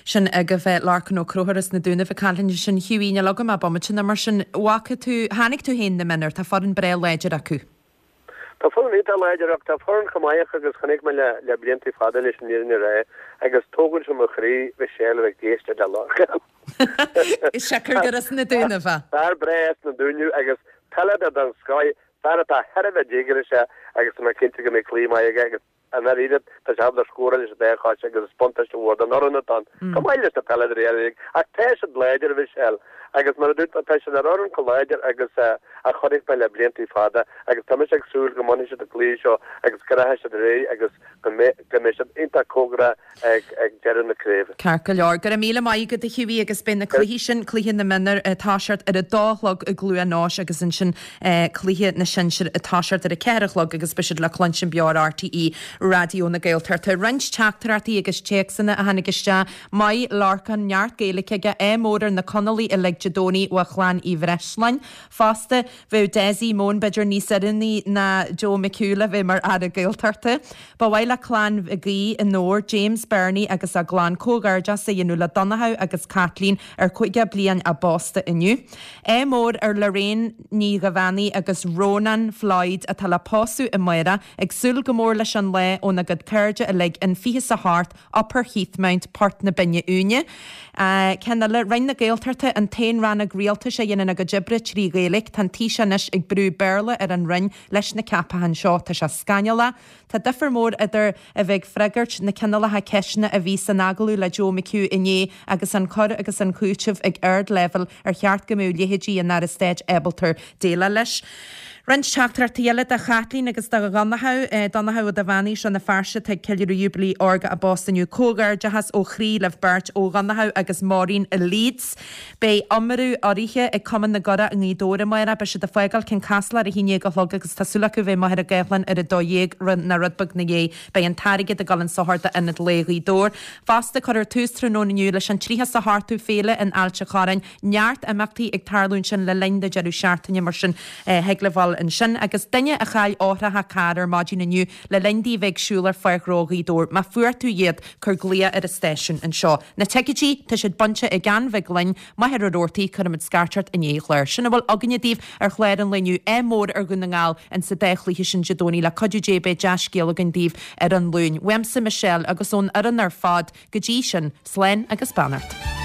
Sin agaibh Lorcan Ó Conchúir as na Dúnaibh ag caint ansin. Hughie, níl agam ach bomaite nó mar sin. Bhfaca tú, chonaic tú féin na mionúir, tá foireann breá láidir acu. Tá foireann iontach láidir acu, tá foireann chomh maith acu agus chonaic mé le le blianta fada leis an fhírinne a rá agus tógann sé mo chroí Michelle a bheith ag éisteacht le Lorcan. Siocair gur as na Dúnaibh é. Fear breá as na Dúnaibh agus peileadóir den scoth, fear atá thar a bheith díograiseach agus tá mé cinnte go mbeidh cluiche maith aige agus i ndáiríre tá sé ábalta scóráil leis an dá chois agus is buntáiste mhór don fhoireann atá ann, chomh maith leis na peileadóirí eile uilig. Ach tá siad láidir, a Mhichelle, agus mar a dúirt mé, tá siad ar fhoireann chomh láidir agus a chonaic mé le blianta fada agus tá mise ag súil go mbainfidh siad an cluiche seo agus go rachaidh siad ar aghaidh agus go mbeidh siad iontach cóngarach ag deireadh na craoibhe. Ceart go leor. Go raibh míle maith agat a Hughie agus beidh na cluichí sin, cluiche na mionúr ag toiseacht ar a dó a chlog i gCluain Eois agus ansin cluiche na sinsear ag toiseacht ar a ceathair a chlog agus beidh siad le cluinstin beo ar RTÉ Raidió na Gaeltachta. Roinnt teachtaireachtaí agus téacsanna a tháinig isteach. Maith Lorcán, neart Gaeilge aige, ádh mór ar na Conallaigh uilig Dé Domhnaigh ó Chlann Uí Bhreisleáin. Fosta, bheadh Dessie Mone b'fhéidir níos oiriúnaí ná Joe McHugh le bheith mar Aire Gaeltachta. Ba mhaith le Clann Mhig Aoidh i nDobhar, James Bernie agus a gclann comhghairdeas a dhéanamh le Donnchadh agus Caitlín ar 50 bliain a bpósta inniu. Ádh mór ar Lorraine Ní Dhuibheannaigh agus Rónán Floyd atá le pósadh amárach, ag súil go mór leis an lá óna gcuid cairde uilig in 28 Upper Heathmount, Port na Binne Uaine. Ceann eile, Roinn na Gaeltachta, an t-aon rannóg rialtais a dhéanann a gcuid oibre trí Ghaeilge. Tá an Taoiseach anois ag brú Béarla ar an Roinn leis na ceapacháin seo. Tá sé scannalach. Tá difear mór idir a bheith ag freagairt na cineálacha ceisteanna a bhí san agallamh le Joe McHugh inné agus an cur agus an cúiteamh ag ardleibhéal ar cheart go mbeadh leithéidí an Aire Stáit ábalta déileáil leis. Roinnt teachtaireachtaí eile do Chaitlín agus do Dhonnchadh, Donnchadh Ó Duibheannaigh, Rann na Feirste atá ag ceiliúradh Júibilí Órga a bpósta inniu. Comhghairdeachas ó chroí libh beirt ó Dhonnchadh agus Maureen i Leeds. Beidh iomramh urraithe ag Cumann na gCuradh i Ngaoth Dobhair amárach. Beidh siad ag fágáil Cionn Caslach ar a haon dhéag a chlog agus tá súil acu bheith i Machaire Gathlán ar a 12 nó rud beag 'na dhiaidh. Beidh an t-airgead ag dul in sochar d'Ionad Lae Ghaoth Dobhair. Fosta, cuirfear tús tráthnóna inniu leis an 38ú Féile in Ailt a' Chorráin. Neart imeachtaí ag tarlú ansin le linn na deireadh seachtaine mar sin thig libh dul ansin. Agus duine a chaill eochracha cairr ar maidin inniu le linn di a bheith ag siúl ar Pháirc Ghnó Ghaoth Dobhair, má fuair tú iad, cuir glaoch ar an stáisiún anseo. Na ticéidí, tá siad bainte ag Ann Mhig Fhloinn, Machaire Rabhartaigh, cuirfimid scairt ort i ndiaidh an chláir. Sin a bhfuil againne daoibh ar chlár an lae inniu. Ádh mór ar Dhún na nGall in sa dá chluiche sin Dé Domhnaigh. Le cuidiú Dé beidh dea-scéal againn daoibh ar an Luan. Uaimse, Michelle, agus ón fhoireann ar fad, go dtí sin, slán agus beannacht.